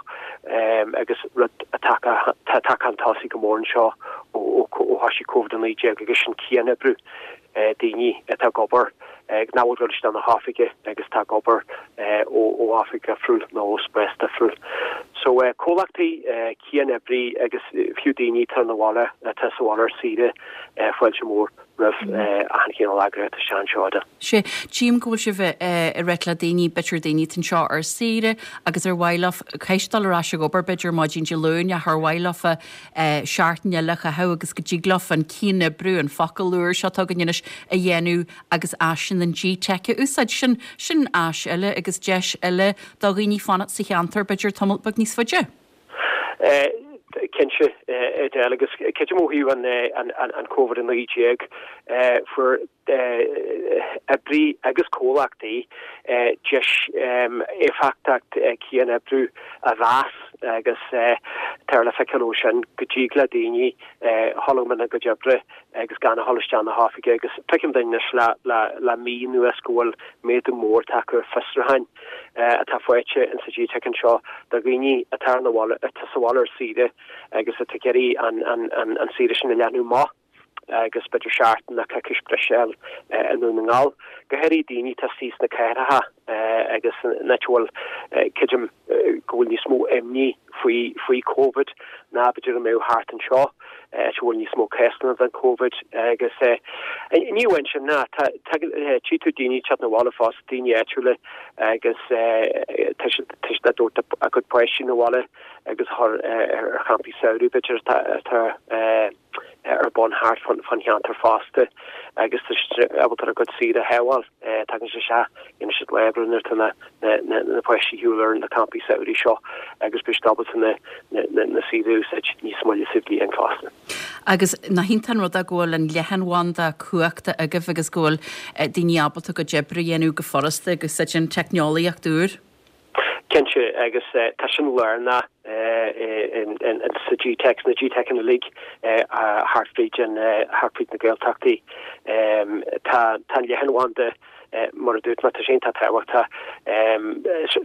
Speaker 6: agus rud atá tagtha chun tosaigh go mór anseo ó thoisigh Covid-19 agus sin cianoibriú. daoine atá ag obair, nach bhfuil ag dul isteach na hoifige agus atá ag obair ó oifig difriúil nó ó spás difriúil. So comhlachtaí, cianoibrí agus fiú daoine atá ina bhaile, atá sa bhaile ar saoire, fáilte mhór roimh achan chineál eagraíocht isteach anseo
Speaker 1: de. Sea, tchím go bhfuil sibh ag ráit le daoine, b'fhéidir daoine atá anseo ar saoire agus ar mhaith leo, caithfidh siad dul ar ais ag obair b'fhéidir maidin Dé Luain ach ar mhaith leofa seachtain eile a chaitheamh agus go dtig leofa an cianoibriú, an focal úr seo atá againn anois, a dhéanamh agus áiseanna an GTeic a úsáid. Sin, sin áis eile agus deis eile do dhaoine fanacht sa cheantar b'fhéidir tamall beag níos faide.
Speaker 6: Cinnte, Edel, agus creidim ó thaobh an Covid-19, fuair oibrí agus comhlachtaí deis éifeachtacht cianoibriú a mheas agus tá le feiceáil ó sin go dtig le daoine dhul i mbun a gcuid oibre agus gan a dhul isteach na hoifige agus feicim anois le mí anuas go bhfuil méadú mór tagtha ar fiosrúcháin atá faighte insa GTeic anseo do dhaoine atá ar na bhaile atá sa bhaile ar saoire agus atá ag iarraidh an saoire sin a leathnú amach. agus b'fhéidir seachtain nó coicís breise a fháil i nDún na nGall, go háirithe daoine atá istigh sna cathracha agus in áit a bhfuil, creidim go bhfuil níos mó imní faoi faoi Covid ná b'fhéidir a mbeadh thart anseo, áit a bhfuil níos mó cásanna den Covid agus ní amháin sin ná tá tchí tú daoine ag teacht 'na bhaile fosta, daoine áitiúla agus tá siad tá siad ag tabhairt a gcuid páistí 'na bhaile agus a chur ar champaí samhraidh b'fhéidir atá ar bun thart fán cheantar fosta agus tá siad ábalta a gcuid saoire a shábháil. Tagann siad isteach, dhéanann siad lá oibre nuair atá na páistí ar shiúl ar na campaí samhraidh seo agus beidh siad ábalta na saoire a úsáid níos moille sa bhliain fosta.
Speaker 1: Agus nach iontach an rud é go bhfuil an leathanbhanda cumhachta agaibh agus go bhfuil daoine ábalta a gcuid oibre a dhéanamh go furasta ag úsáid an teicneolaíocht úr.
Speaker 6: Cinnte, agus tá sin lárnach sa GTeic, sna GTeiceanna uilig thart fríd an, thart fríd na Gaeltachtaí. Tá an leathanbhanda, mar a dúirt mé, tá sé iontach tábhachtach.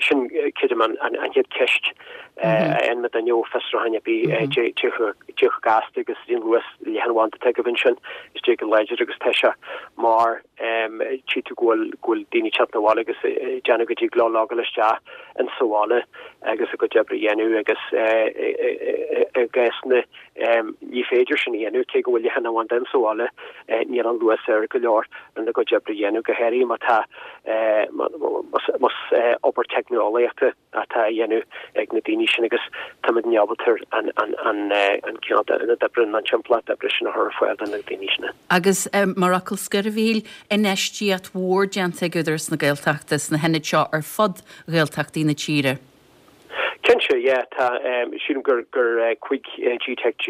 Speaker 6: Sin, creidim, an chéad cheist a fhaigheann duine ó fiosrúchán ar bith, cé chomh gasta agus cén luas leathanbhanda atá agaibh ansin, is dóigh go láidir agus tá sé mar. Tchí tú go bhfuil, go bhfuil daoine ag teacht 'na bhaile agus ag déanamh go dtig leo logáil isteach in sa bhaile agus a gcuid oibre a dhéanamh agus i gcásanna ní féidir sin a dhéanamh cé go bhfuil leathanbhanda in sa bhaile níl an luas air go leor lena gcuid oibre a dhéanamh go háirithe má tá más obair teicneolaíochta atá á dhéanamh ag na daoine sin agus táimid ábalta an cineál ionad oibre nó an timpeallacht oibre sin a chur ar fáil do na daoine sin.
Speaker 1: Agus mar fhocal scoir, a Mhíchíl, infheistíocht mhór déanta ag Údarás na Gaeltachta sna hionaid seo ar fud Ghaeltachtaí na tíre.
Speaker 6: Cinnte, yeah, tá, sílim gur 15 GTeic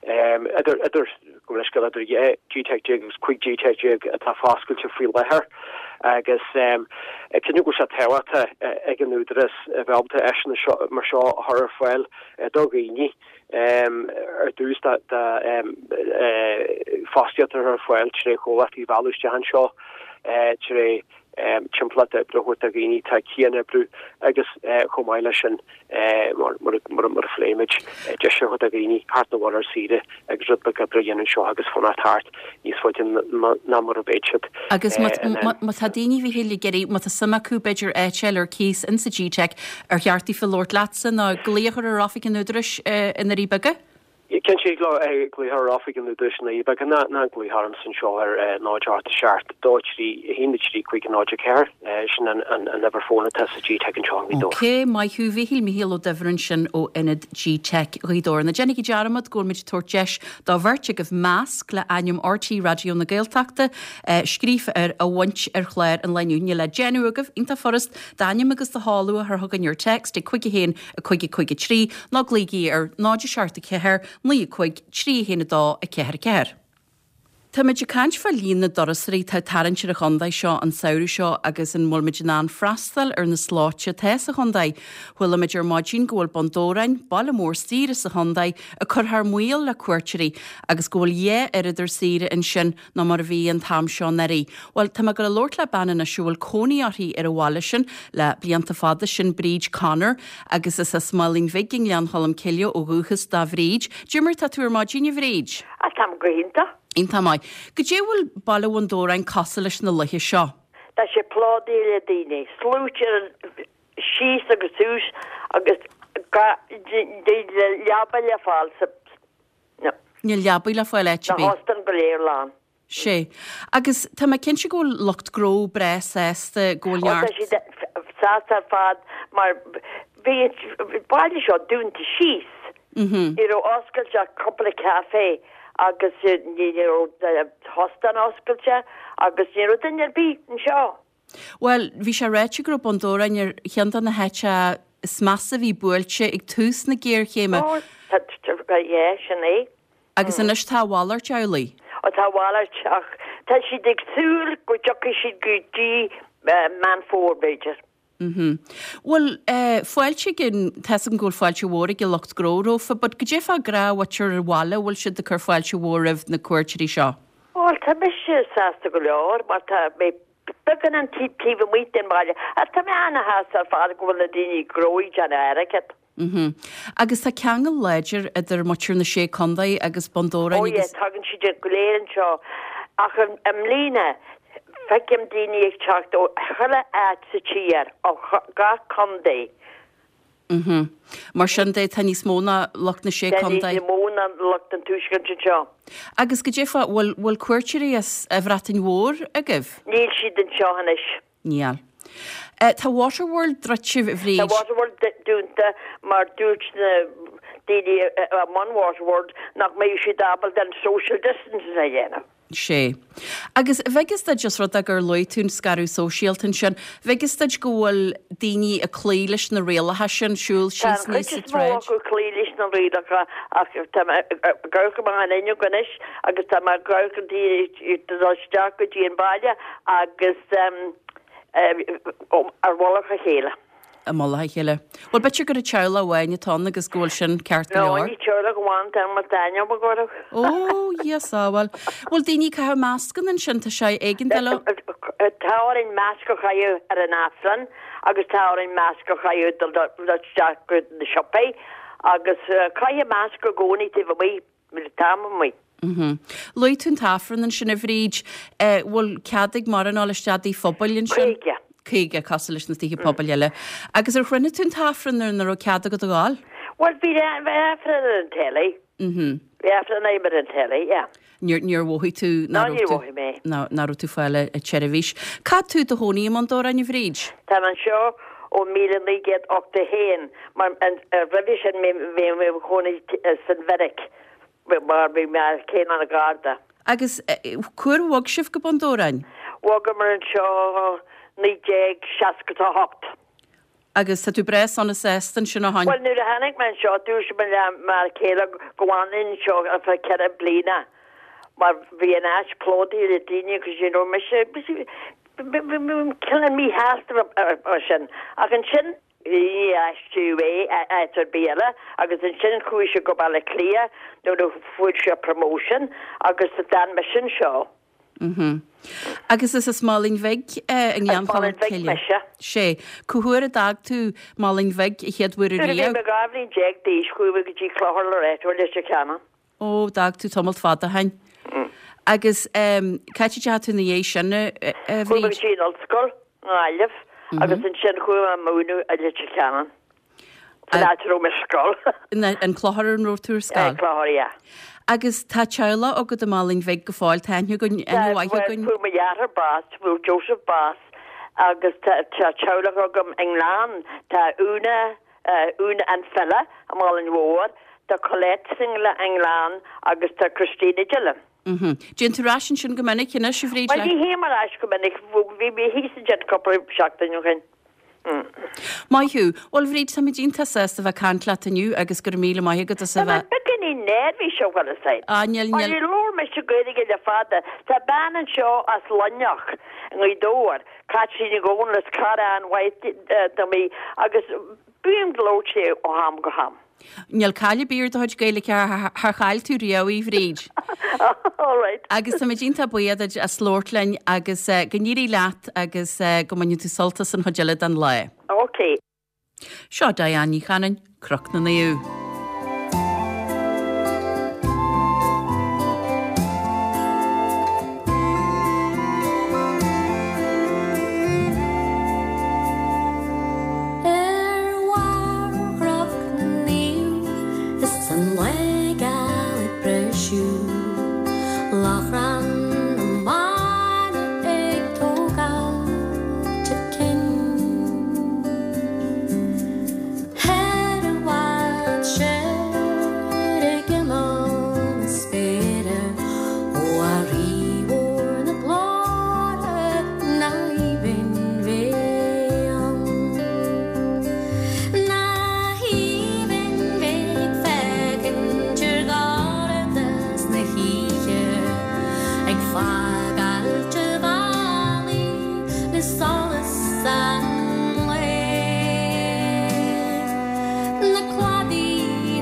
Speaker 6: idir, idir, gabh mo leithscéal, idir 12 GTeic agus 15 GTeic atá foscailte faoi láthair agus cinnte go bhfuil sé tábhachtach ag an Údarás a bheith ábalta áiseanna seo mar seo a chur ar fáil do dhaoine ar dtús dá fostaíocht a chur ar fáil tré chomhlachtaí a mhealladh isteach anseo tré timpeallacht oibre a thabhairt do dhaoine atá ag cianoibriú agus chomh maith leis sin, mar a phléigh muid, deis a thabhairt do dhaoine theacht 'na bhaile ar saoire agus rud beag oibre a dhéanamh anseo agus fanacht thart níos faide ná mar a bheadh siad.
Speaker 1: Agus má tá daoine, a Mhíchíl, ag iarraidh, má tá suim acu b'fhéidir áit a fháil ar cíos insa GTeic, ar cheart daofa labhairt leatsa nó glaoch a chur ar oifig an Údaráis i nDoirí Beaga?
Speaker 6: Cinnte, thig leo glaoch ar oifig an Údaráis i nDoirí Beaga nó glaoch ormsa anseo ar 0 8 7 2 3 1 3 5 0 4. Sin an uimhir fóin atá sa GTeic anseo i
Speaker 1: nGaoth Dobhair. Ok, maith thú, Mhíchíl, Mícheál Ó Duibhir ansin ó Ionad GTeic Ghaoth Dobhair. Ná déanaigí dearmad go bhfuil muid ag tabhairt deis do bheirt agaibh masc le ainm RTÉ Raidió na Gaeltachta scríofa air a bhaint ar chlár an lae inniu. Níl le déanamh agaibh, iontach furast, d'ainm agus do sheoladh a chur chugainn ar text ag 5 1 5 5 3, nó glaoigí ar 0 7 4 9 5 3 1 2 4 4. Táimid ag caint fá líon na dturasóirí atá ag tarraingt ar an chontae seo an samhradh seo agus an bhfuil muid in ann freastal ar na slóite atá sa chontae. Chuala muid ar maidin go bhfuil Bun Dobhráin, baile mór saoire sa chontae, ag cur thar maoil le cuairteoirí agus go bhfuil dhá oiread ar saoire ansin ná mar a bhí an t-am seo anuraidh. Bhuel, tá mé ag dul a labhairt le bean anois a bhfuil cónaí uirthi ar an bhaile sin le blianta fada, sin Bríd Connor agus is as Málainn Bhig i nGleann Cholm Cille ó dhúchas do Bhríd. Cad é mar tá tú ar maidin, a Bhríd?
Speaker 7: Ah, táim go hiontach.
Speaker 1: Iontach maith. Goidé a bhfuil Baile Bhun Dobhráin cosúil leis na laethe seo?
Speaker 7: Tá sé plódaithe le daoine, sluaite ar an síos agus suas agus níl leaba le fáil sa.
Speaker 1: No. Níl leabaí le fáil áit
Speaker 7: ar bith. Na hóstáin go léir lán.
Speaker 1: Sé. Agus tá mé cinnte go bhfuil lucht gnó breá sásta go bhfuil
Speaker 7: neart. Ó, tá siad sásta ar fad mar bhí an baile seo dúnta síos. Ní raibh oscailte ach cúpla café agus ní raibh hóstán oscailte agus ní raibh duine ar bith anseo.
Speaker 1: Bhuel, bhí sé ráite go raibh Bun Dobhráin ar cheann de na háiteacha is measa a bhí buailte ag tús na géarchéime.
Speaker 7: Ó, tá, yeah, sin é.
Speaker 1: Agus anois tá a mhalairt amhlaidh.
Speaker 7: Ó, tá a mhalairt, ach tá siad ag súil go dtiocfaidh siad go dtí Meán Fómhair, b'fhéidir.
Speaker 1: Mhm. Bhuel, eh, fáilte ag an, tá's agam go bhfuil fáilte mhór ag an lucht gnó rompu, but goidé fá ghnáthmhuintir an bhaile, bhfuil siad ag cur fáilte mhór roimh na cuairteoirí seo?
Speaker 7: Bhuel, tá mise sásta go leor mar tá mé beagán an taobh taobh amuigh den bhaile ach tá mé ana-shásta ar fad go bhfuil na daoine gnó ag déanamh airgead.
Speaker 1: Mhm. Agus tá ceangal láidir idir muintir na Sé Contae agus Bun Dobhráin
Speaker 7: Oh yeah,
Speaker 1: agus.
Speaker 7: tagann siad go léir anseo ach i mbliana feicim daoine ag teacht ó chuile áit sa tír, ó gach contae.
Speaker 1: Mhm. Mar sin de, tá níos mó ná lucht na Sé
Speaker 7: Tá
Speaker 1: Contae.
Speaker 7: níos mó ná lucht an tuaiscirt anseo.
Speaker 1: Agus goidé fá, bhfuil, bhfuil cuairteoirí as an Bhreatain Mhór agaibh?
Speaker 7: Níl siad anseo anois.
Speaker 1: Níl. Tá Waterworld druidte, a Bhríd.
Speaker 7: Tá Waterworld dúnta mar dúirt na daoine i mbun Waterworld nach mbeadh siad ábalta an social distancing a dhéanamh.
Speaker 1: Sé. Agus bheadh fhios duit, os rud é gur luaigh tú an scaradh sóisialta ansin, bheadh fhios duit go bhfuil daoine ag cloí leis na rialacha sin, siúl
Speaker 7: Tá
Speaker 1: síos
Speaker 7: an
Speaker 1: aníos
Speaker 7: chuid
Speaker 1: sa
Speaker 7: is mó
Speaker 1: tsráid?
Speaker 7: acu ag cloí leis na rialacha ach tá mé ag amharc amach an fhuinneog anois agus tá mé ag amharc ar daoine ag dul isteach go dtí an baile agus ar mhullach a chéile.
Speaker 1: I mullach a chéile. Bhuel, b'fhéidir gur an teaghlach amháin atá ann agus go bhfuil sin ceart go
Speaker 7: No,
Speaker 1: leor.
Speaker 7: ní teaghlach amháin atá ann mar tá aithne agam orthu.
Speaker 1: Ó, Dhia sábháil. Bhfuil daoine ag caitheamh mascanna ansin, tá sé éigeandáil.
Speaker 7: Tá orainn masc a chaitheamh ar an Aifreann agus tá orainn masc a chaitheamh dul isteach go na siopaí agus caithfidh masc i gcónaí taobh amuigh. An t-am amuigh.
Speaker 1: Mhm. Luaigh tú an tAifreann ansin a Bhríd. Eh, bhfuil cead ag mórán a dhul isteach i dtithe pobail ansin?
Speaker 7: 50.
Speaker 1: 50, cosúil leis na tithe pobail eile. Agus ar chruinnigh tú an tAifreann nuair nach raibh cead agat a ghabháil?
Speaker 7: Bhuel, bhí bhí Aifreann ar an telly.
Speaker 1: Mhm.
Speaker 7: Bhí Aifreann agam ar an telly, yeah.
Speaker 1: Níor, níor mhothaigh tú
Speaker 7: Ná
Speaker 1: nach raibh
Speaker 7: níor
Speaker 1: tú,
Speaker 7: mhothaigh mé.
Speaker 1: ná, nach raibh tú ag fáil an tseirbhís. Cá fhad tú i do chónaí i mBun Dobhráin, a Bhríd?
Speaker 7: Táim anseo ó 1981 mar roimhe sin bhí mé i mo chónaí san Bheairic mar bhí m'fhear céile ina Gharda.
Speaker 1: Agus cá huair a bhog sibh go Bun Dobhráin?
Speaker 7: Bhogamar anseo 1968.
Speaker 1: Agus tá tú breá sona sásta ansin ó shoin?
Speaker 7: Bhuel nuair a tháinig mé anseo dúirt mé le m'fhear céile go bhfanfainn anseo ar feadh 4 bliana mar bhí an áit plódaithe le daoine agus you know mise bhí mé cineál míshásta mar sin ach ansin ní aistríodh é áit ar bith eile agus ansin chuaigh sé go Baile Átha Cliath nuair a fuair sé promotion agus d'fhan mise anseo.
Speaker 1: Mhm. Agus is as Málainn Bhig i nGleann
Speaker 7: As
Speaker 1: Cholm
Speaker 7: Málainn Bhig
Speaker 1: Cille.
Speaker 7: mise.
Speaker 1: Sé. Cá huair a d'fhág tú Málainn Bhig a chéad uair
Speaker 7: Nuair a bhí
Speaker 1: ariamh?
Speaker 7: mé 12 bhliain d'aois chuaigh mé go dtí Clochar Loreto i Leitir Ceanainn.
Speaker 1: Ó, d'fhág tú tamalt fada ó shoin. Agus cá háit a dteachaigh tú ina dhiaidh sin, a
Speaker 7: Chuaigh mé go
Speaker 1: Bhríd?
Speaker 7: dtí an ollscoil i nGaillimh agus ansin chuaigh mé ag múineadh i Leitir Ceanainn. San áit a raibh mé ar scoil.
Speaker 1: An Clochar an raibh tú ar scoil?
Speaker 7: An Clochar, yeah.
Speaker 1: Agus tá teaghlach agat i Málainn Bhig go fóill, tá aithne againn, aithne mhaith againn.
Speaker 7: Fuair mo dheartháir bás, fuair Joseph bás agus tá teaghlach agam i nGleann, tá Úna, Úna an file i Málainn Mhór, tá Colette sa nGleann agus tá Christina Dillon.
Speaker 1: Mhm. Dtéann tú ar ais ansin go minic anois, a Bhríd?
Speaker 7: Bhuel, ní théim ar ais go minic, bhí mé thíos ansin cúpla seachtain ó shin.
Speaker 1: Maith thú. Bhuel, Bhríd, táimid iontach sásta a bheith ag caint leat inniu agus go raibh míle maith agat as a
Speaker 7: Tá mé
Speaker 1: bheith.
Speaker 7: beagán. daoine neirbhíseach bhfuil fhios a'd.
Speaker 1: Ah, níl, níl.
Speaker 7: Níor labhair mise Gaeilge le fada. Tá bean anseo as Luimneach, i nGaoth Dobhair, Caitlín Ní Dhomhnaill, is cara an-mhaith dom í agus bím ag labhairt léi ó am go ham.
Speaker 1: Níl caill ar bith ar do chuid Gaeilge, char chaill tú riamh í, a Bhríd.
Speaker 7: All right.
Speaker 1: Agus táimid iontach buíoch duit as labhairt linn agus go n-éirí leat agus go mbaine tú sult as an chuid eile den lá.
Speaker 7: Ok.
Speaker 1: Seo Diane Ní Chanainn, Cnoc na Naomh.
Speaker 8: Ar bharr Chnoc na Naomh is an lá geal ag briseadh, Lóchrann na mban ag tógáilt a cinn. Ar i bhfad soir ag imeall na spéire, ó a Rí mhór na glóire na haoibhinn bheith ann. Na haoibhinn bheith ag féachaint ar dhorchadas na hoíche, ag fágáilt a bhealaigh le solas an lae. Na cladaí,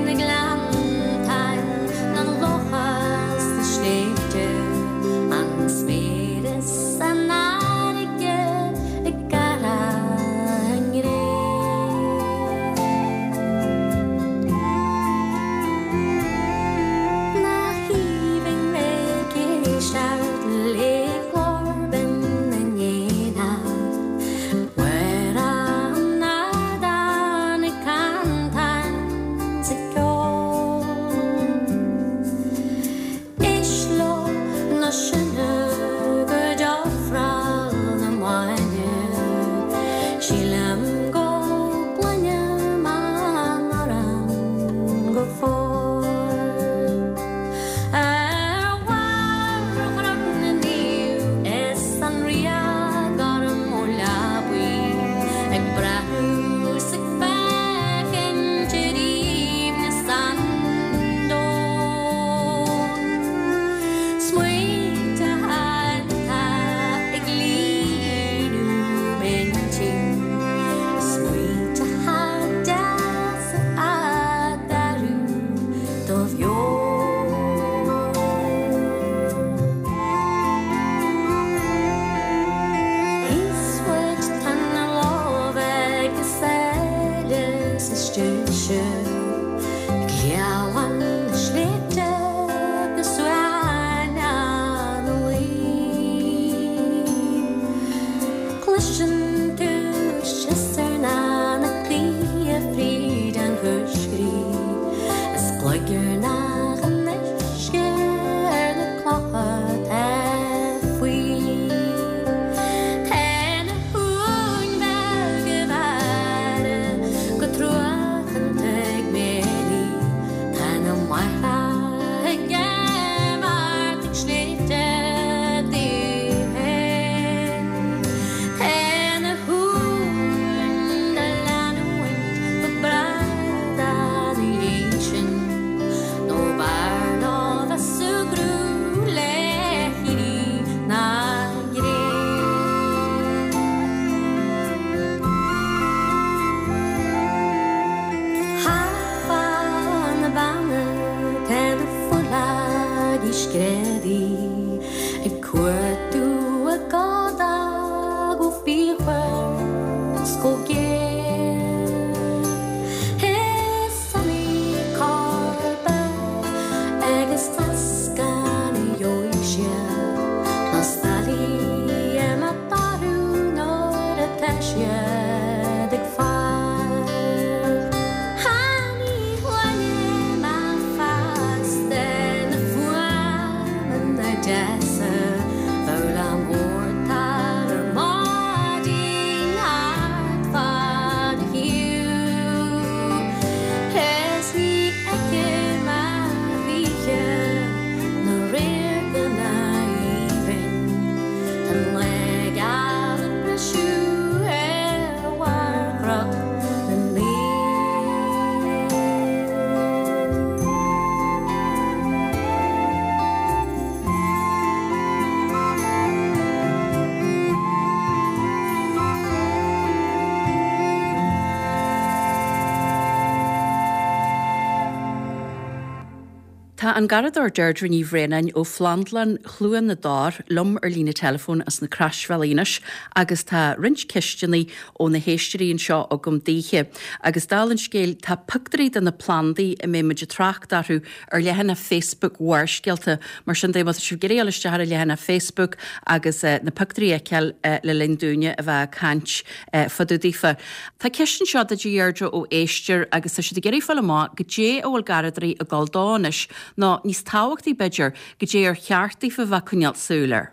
Speaker 8: na gleanntáin, na locha 's na sléibhte, an spéir is an fharraige ag gearradh a ngré. Nach aoibhinn bheith ag éisteacht le glór binn na n-éanach, Ar an ardán ag cantáin 's ag ceol. Éist leo na sinne go d'ofráil na maoine, Sílim go gcluinim an amhrán go fóill. Ar bharr Chnoc na Naomh is an riagh gorm ó leabaidh ag breathnú 's ag féachaint ar aoibhneas an domhain. Smaointe atá ag líonadh m'intinn, smaointe deasa a d'athrú do mheon. Thíos uait tá na lámha agus eile sa stóinse, Gleann na sléibhte go suaimhneach 'na luí. Cloiseann tú siosarnach na gaoithe fríd an choiscrígh, is gliogarnach an uisce ar na clocha atá faoi. Tá na huain bheaga ag faire go truacánta ag méirí, tá na máithreacha ag imeacht ag sléibhte daoibh féin. Tá na.
Speaker 1: Tá an garradóir Deirdre Ní Bhraonáin ó Phlandlann Chluain na dTor liom ar líne teileafóin as na Croisbhealaí anois agus tá roinnt ceisteanna ó na héisteoirí anseo agam daoithe. Agus dála an scéil tá pictiúirí de na plandaí a mbeidh muid ag trácht orthu ar leathanach Facebook Bharrscéalta. Mar sin de, má tá sibh ag iarraidh dul isteach ar an leathanach Facebook agus na pictiúirí a fheiceáil le linn dúinne a bheith ag caint fá dtaobh daofa. Tá ceist anseo duit a Dheirdre ó éisteoir agus tá siad ag iarraidh fáil amach goidé a bhfuil garradóirí ag dul dó anois, nó níos tábhachtaí b'fhéidir, goidé ar cheart daofa a bheith ag coinneáil súil air.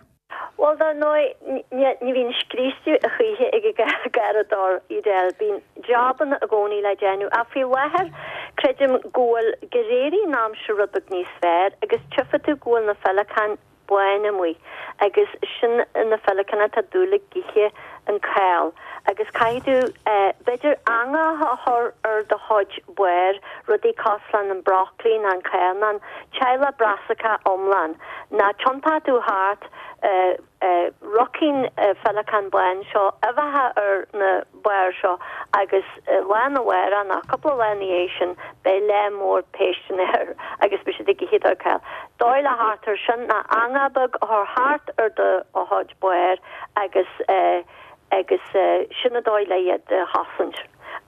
Speaker 9: Bhuel, dar ndóigh, ní bhíonn scriosadh a choíche ag an gharradóir, Edel. Bíonn jabanna i gcónaí le déanamh. Ach faoi láthair, creidim go bhfuil, gur éirigh an aimsir rud beag níos fearr agus tchífidh tú go bhfuil na féileacáin bána amuigh agus sin na féileacáin atá ag dul ag ithe an cál agus caithfidh tú, b'fhéidir, eangach a chur ar do chuid barr, rudaí cosúil leis an broccoli ná an cál ná an teaghlach brassica iomlán. Ná tiontóidh tú thart rachaidh an féileacán bán seo uibheacha ar na bairr seo agus lá arna mhárach ná cúpla lá ina dhiaidh sin beidh lear mór péisteanna air agus beidh siad ag ithe do cál. Dóigh le theacht air sin ná eangach beag a chur thart ar do chuid barr agus agus sin an dóigh le iad a chosaint.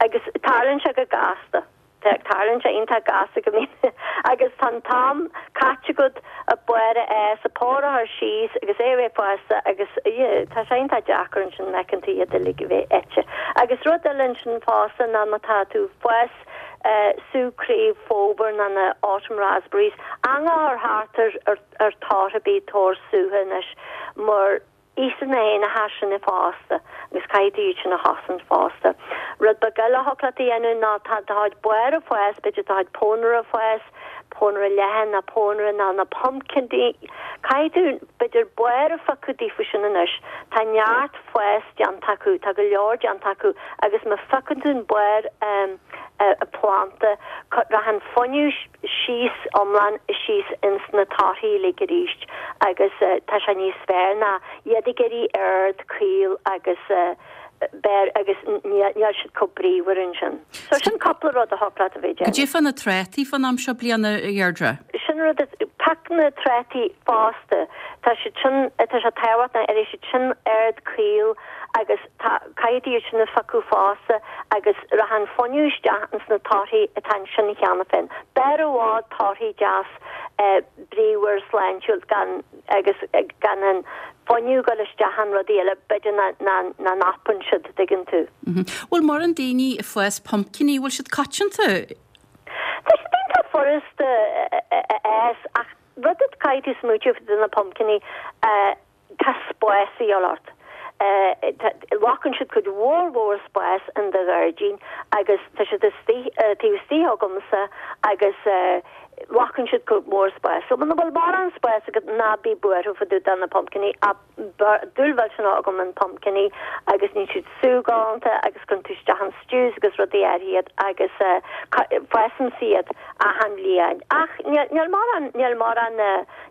Speaker 9: Agus tarlaíonn sé go gasta. Tarlaíonn sé iontach gasta go mbíonn agus tá an t-am caite agat an barr a fhás, an barr a chur síos agus é a bheith fásta agus tá sé iontach deacair ansin má fheiceann tú iad uilig a bheith ite. Agus rud eile ansin fosta ná má tá tú ag fás sú craobh fómhair ná na autumn raspberries, eangach a chur thart ar ar tortha ar bith tor sútha anois mar Íosfaidh na héanacha sin fosta agus caithfidh tú iad sin a chosaint fosta. Rud beag eile a thiocfadh leat a dhéanamh ná tá do chuid barr ag fás, b'fhéidir do chuid pónaire ag fás, pónaire leathan ná pónaire ná na pumpkins, caithfidh tú b'fhéidir barr a phiocadh daofa sin anois. Tá neart fás déanta acu, tá go leor déanta acu agus má phiocann tú an barr planda, rachaidh an fuinneamh, síos iomlán síos ins na torthaí uilig arís agus tá sé níos fearr ná iad ag éirí ard caol agus beir agus níl siad chomh bríomhar ansin. So sin cúpla rud a thiocfadh leat a bheith ag déanamh.
Speaker 1: Goidé fá na trátaí fán am seo bliana, a Dheirdre?
Speaker 9: Sin rud, pioc na trátaí fosta. Tá siad sin, tá sé tábhachtach, éireoidh siad sin ard caol agus Tá, caithfidh tú iad sin a phiocadh fosta agus rachaidh an fuinneamh isteach ins na torthaí atá ansin cheana féin. B'fhearr i bhfad torthaí deas bríomhar sláintiúil gan agus gan an fuinneamh ag dul isteach in rudaí eile b'fhéidir ná nach n-oibríonn siad, dtuigeann tú.
Speaker 1: Bhfuil mórán daoine ag fás pumpkiní, bhfuil siad coitianta?
Speaker 9: Tá siad iontach furasta a fhás ach rud a caithfidh tú smaoitiú fá na pumpkiní, Tá spás a dhíobháil ort. Glacann siad cuid mhór mhór spáis in do ghairdín agus tá siad istigh, taobh istigh agamsa agus glacann siad cuid mhór spáis. So muna bhfuil mórán spáis agat ná bí buartha fá dtaobh de na pumpkiní ach dúil mhillteanach agam in pumpkiní agus níonn siad sú galánta agus cuireann tú isteach in stews agus rudaí áirithe iad agus fásaimse iad achan bhliain. Ach níl mórán, níl mórán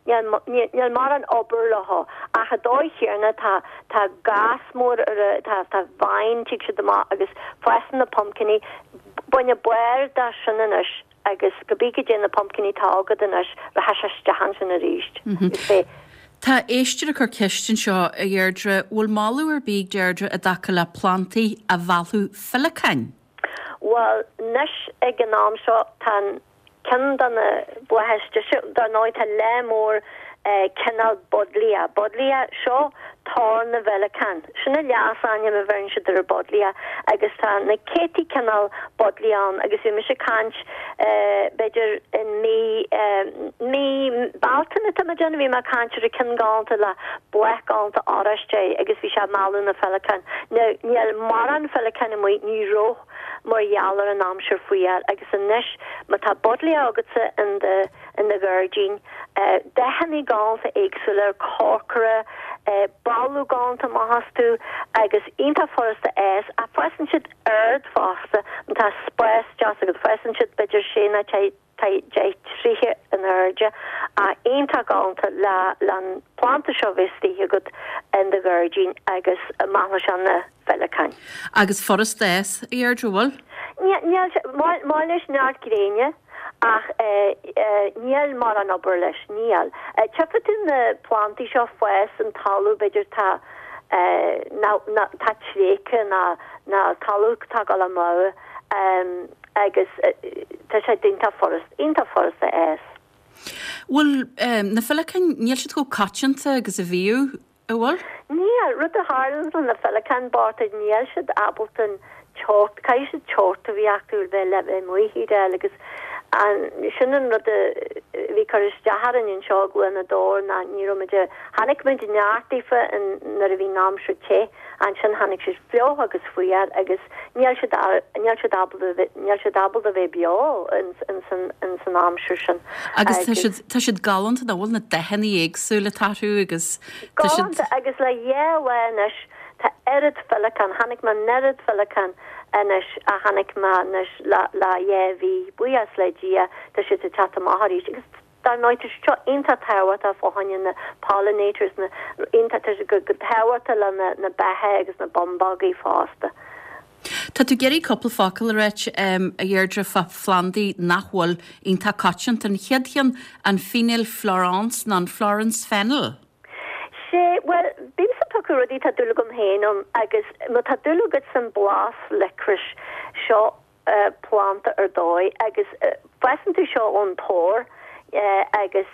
Speaker 9: Níl mórán obair leo ach an dóigh chéanna tá tá gas mór ar a tá tá vine tig siad amach agus fásann na pumpkiní bain an barr de sin anois agus cibé goidé na pumpkiní atá agat anois rachaidh sé isteach ansin arís agus beidh
Speaker 1: Tá éisteoir ag cur ceist anseo, a Dheirdre, bhfuil moladh ar bith ag Deirdre i dtaca le plantaí a mheallfadh féileacáin?
Speaker 9: Bhuel, anois ag an am seo tá an Ceann de na blátha is deise, dar ndóigh, tá lear mór cineál buddleia. Buddleia, seo tor na bhféileacán. Sin an leasainm a bheireann siad ar an buddleia agus tá na céadtaí cineál buddleia ann agus bhí mise ag caint b'fhéidir in mí, mí Bealtaine tá mé ag déanamh, bhí mé ag caint ar an ceann galánta le bláth galánta oráiste agus bhí sé ag mealladh na féileacán. Now níl mórán féileacán amuigh, ní raibh. mar gheall ar an aimsir fuar agus anois má tá buddleia agatsa in do in do ghairdín, dathanna galánta éagsúla, corcra, boladh galánta amach astu agus iontach furasta a fhás ach fásann siad ard fosta má tá spás deas agat, fásann siad b'fhéidir sé nó 10 troithe in airde ach iontach galánta le le an planda seo a bheith istigh agat in do ghairdín agus meallfaidh sé na féileacáin.
Speaker 1: Agus furasta a fhás, a Dheirdre, bhfuil?
Speaker 9: Níl, níl sé, maith leis neart gréine. Ach níl mórán obair leis, níl. Tchífidh tú na plantaí seo ag fás in talamh, b'fhéidir tá tá tréigthe ná ná talamh atá ag dul amú agus tá sé iontach furast, iontach furast a fhás.
Speaker 1: Bhfuil na féileacáin, níl siad chomh coitianta agus a bhíodh, an bhfuil?
Speaker 9: Níl. Rud a tharlann le na féileacáin bochta, níl siad ábalta an teocht, caithfidh siad teocht a bheith acu le bheith le bheith amuigh a Edel agus an, sin an rud a bhí ag cur isteach orainn anseo i gCluain na Dobhar ná ní raibh muid a, chonaic muid neart daofa in, nuair a bhí an aimsir te. Ansin tháinig siad fliuch agus fuar agus níl siad níl siad ábalta níl siad ábalta bheith beo ins an ins an aimsir sin.
Speaker 1: Agus tá siad tá siad galánta nach bhfuil na dathanna éagsúla atá orthu agus
Speaker 9: tá siad. Galánta agus le dhá lá anois tá oiread féileacán, chonaic mé an oiread féileacán anois a chonaic mé anois le le dhá mhí, buíochas le Dia tá siad ag teacht amach arís agus Dar ndóigh, tá siad seo iontach tábhachtach fá choinne na pollinators, na, iontach, tá siad go, go tábhachtach le na, na beacha agus na bumbógaí fosta.
Speaker 1: Tá tú ag iarraidh cúpla focal a ráit, a Dheirdre, fá phlandaí nach bhfuil iontach coitianta. An chéad cheann, an feineal Florence nó an Florence fennel?
Speaker 9: Sé, bhuel, bímse ag piocadh rudaí atá dúil agam féin ann agus má tá dúil agat san blas licorice, seo planda ar dóigh agus fásann tú seo ón pár agus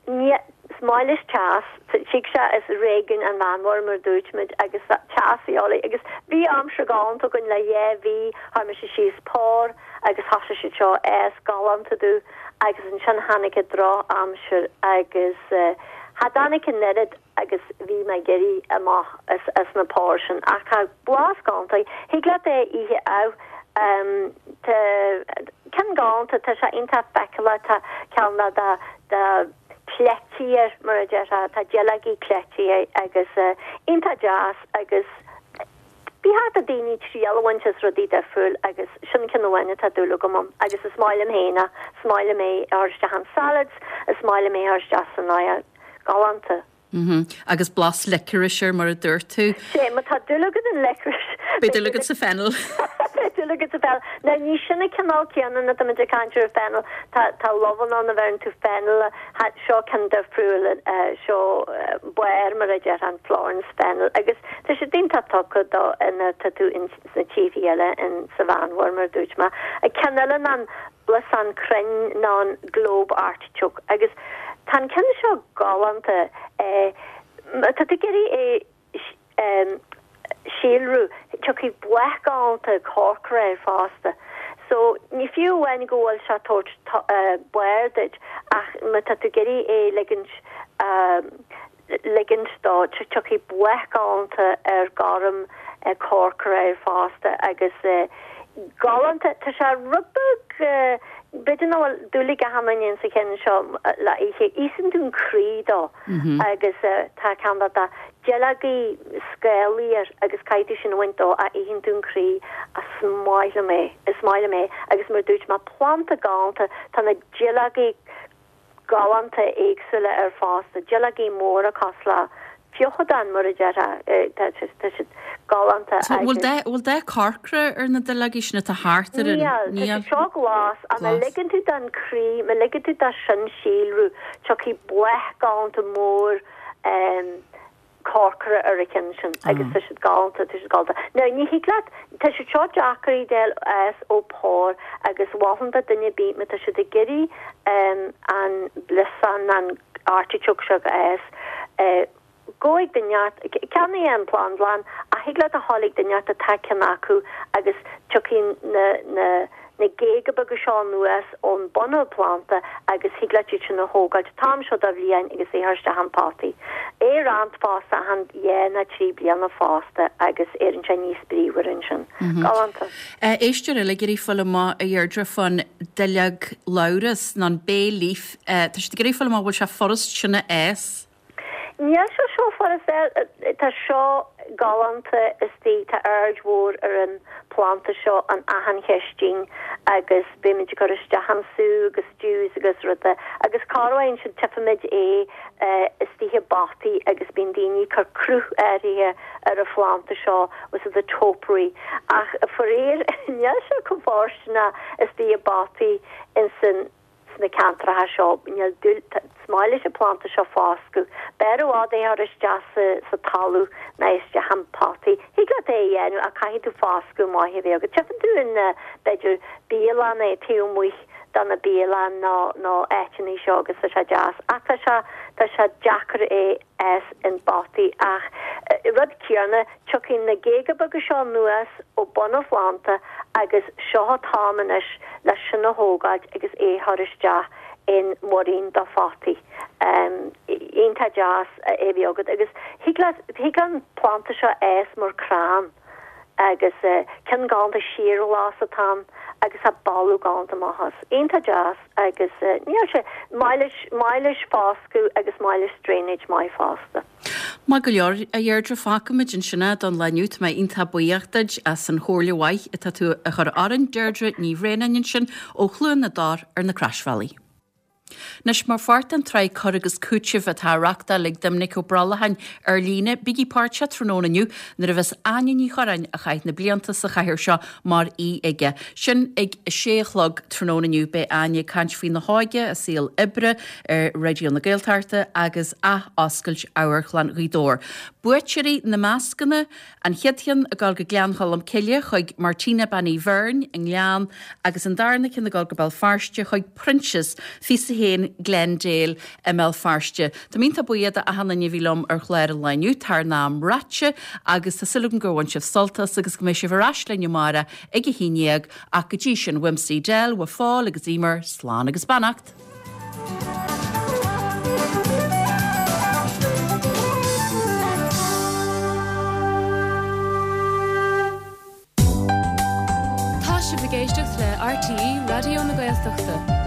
Speaker 9: ní is maith leis teas, tig sé as réigiún an Mheánmhara mar a dúirt muid agus teas a dhíobháil agus bhí aimsir galánta againn le dhá mhí, chuir mise síos pár agus thosaigh siad seo ag fás galánta domh agus ansin tháinig an droch aimsir agus cha dtáinig an oiread agus bhí mé ag iarraidh amach as na páir sin ach tá blas galánta thig leat é a ithe amh tá ceann galánta tá sé iontach feiceálach tá ceann de de de cleití air mar a déarfá tá duilleogaí cleití air agus iontach deas agus ba cheart do daoine triail a bhaint as rudaí difriúil agus sin ceann amháin atá dúil agam ann agus is maith liom féin é is maith liom é a chur isteach in salads is maith liom é a chur isteach san oighear. Galánta.
Speaker 1: Mhm. Agus blas licorice air mar a dúirt tú.
Speaker 9: Sé, má tá dúil agat in licorice.
Speaker 1: Beidh dúil agat sa fennel.
Speaker 9: Beidh dúil agat sa fennel. Now ní sin an cineál céanna nuair atá muid ag caint ar fennel. Tá, tá luibheanna ann a bheireann tú fennel, seo ceann difriúil, seo barr mar a déarfá an Florence fennel agus tá siad iontach tugtha do nuair atá tú in sna tíorthaí eile in sa Mheánmhuir mar a dúirt mé. Ceann eile ná an blasán cruinn ná an globe artichoke agus tá an ceann seo galánta. Má tá tú ag iarraidh é síolrú, tiocfaidh bláth galánta corcra air fosta. So, ní fiú amháin go bhfuil sé ag tabhairt barr duit ach má tá tú ag iarraidh é ligint ligint dó, tiocfaidh bláth galánta ar gorm corcra air fosta agus galánta, tá sé rud beag, b'fhéidir nach bhfuil dúil ag achan duine sa cheann seo le ithe, íosann tú an croí dó agus tá ceann de duilleogaí scálaí air agus caithfidh tú sin a bhaint dó ach itheann tú an croí, is maith liom é, is maith liom é agus mar a dúirt mé planda galánta, tá na duilleogaí galánta éagsúla air fosta, duilleogaí móra cosúil le feochadán mar a déarfá, tá siad galánta
Speaker 1: So bhfuil agus. dath, bhfuil dath corcra ar na duilleogaí sin atá thart ar an,
Speaker 9: Níl, tá níl? siad seo glas ach má Glas. ligeann tú don croí, má ligeann tú dó sin síolrú, tiocfaidh bláth galánta mór corcra ar a cheann sin agus tá siad galánta, tá siad galánta. Now ní thig leat, tá siad seo deacair a fháil as ó phár agus mholfainn do duine ar bith má tá siad ag iarraidh an bliosán, an artichoke seo a fhás, gabh ag duine inteacht, ceannaigh é ón plandlann ach thig leat a ghabháil ag duine inteacht atá ceann acu agus tiocfaidh na, na, na géaga beaga seo anuas ón bun an phlanda agus thig leat iad sin a thógáilt an t-am seo de bhliain agus é a chur isteach in potaí. É a roinnt fosta achan dhá nó trí bliana fosta agus éiríonn sé níos bríomhar ansin. Galánta.
Speaker 1: Éisteoir eile ag iarraidh fáil amach a Dheirdre fán duilleog labhras nó an bay leaf. Tá siad ag iarraidh fáil amach bhfuil sé furast sin a fhás.
Speaker 9: Níl sé seo furast, tá seo. galánta istigh, tá aird mhór ar an phlanda seo in achan chistín agus bímid ag cur isteach an sú agus stews agus ruda agus corruair ansin tchífimid é istigh i bpotaí agus bíonn daoine ag cur cruth áirithe ar an phlanda seo with the topiary ach faraor níl sé chomh fóirsteanach istigh i bpotaí insan sna ceantracha seo. Níl dúil, is maith leis an planda seo foscadh. B'fhearr i bhfad é a chur isteach sa, sa talamh ná isteach in potaí. Thig leat é a dhéanamh ach caithfidh tú foscadh maith a bheith agat. Tchífeann tú in, b'fhéidir, bialanna taobh amuigh de na bialanna nó, nó áiteanna seo agus tá sé deas. Ach tá sé, tá sé deacair é a fhás in bpotaí ach rud céanna, tiocfaidh na géaga beaga seo anuas ó bun an phlanda agus seo an t-am anois le sin a thógáilt agus é a chur isteach in muirín do photaí. Iontach deas é a bheith agat agus thig leat, thig an planda seo fhás mar crann agus ceann galánta síorghlas atá ann agus tá boladh galánta amach as. Iontach deas agus níl sé, maith leis, maith leis foscadh agus maith leis drainage maith fosta.
Speaker 1: Maith go leor, a Dheirdre, fágfaimid ansin é don lá inniu. Tá mé iontach buíoch duit as an chomhairle mhaith atá tú a chur orainn, Deirdre Ní Bhraonáin ansin ó Chluain na dTor ar na Croisbhealaí. Anois, mar pháirt den tsraith Cur agus Cúiteamh atá á reachtáil ag Doimnic Ó Brollacháin ar líne, bígí páirteach tráthnóna inniu nuair a bheas Áine Ní Churráin, a chaith na blianta sa chathaoir seo, mar aoi aige. Sin ag a sé a chlog tráthnóna inniu. Beidh Áine ag caint faoina hóige, a saol oibre ar Raidió na Gaeltachta agus ath-oscailt Amharclann Ghaoth Dobhair. Buaiteoirí na mascanna, An chéad cheann ag dul go Gleann Cholm Cille chuig Martina Bean Uí Bheirn i nGleann agus an darna ceann ag dul go Béal Feirste chuig Proinsias, 21 Glendale i mBéal Feirste. Tá mé iontach buíoch d'achan duine a bhí liom ar chlár an lae inniu, tá ár n-am ráite agus tá súil agam gur bhain sibh sult as agus go mbeidh sibh ar ais linn amárach ag a 11 ach go dtí sin, uaimse Edel, uaidh Phól agus Emer, slán agus beannacht.
Speaker 10: Tá sibh ag éisteacht le RTÉ Raidió na Gaeltachta.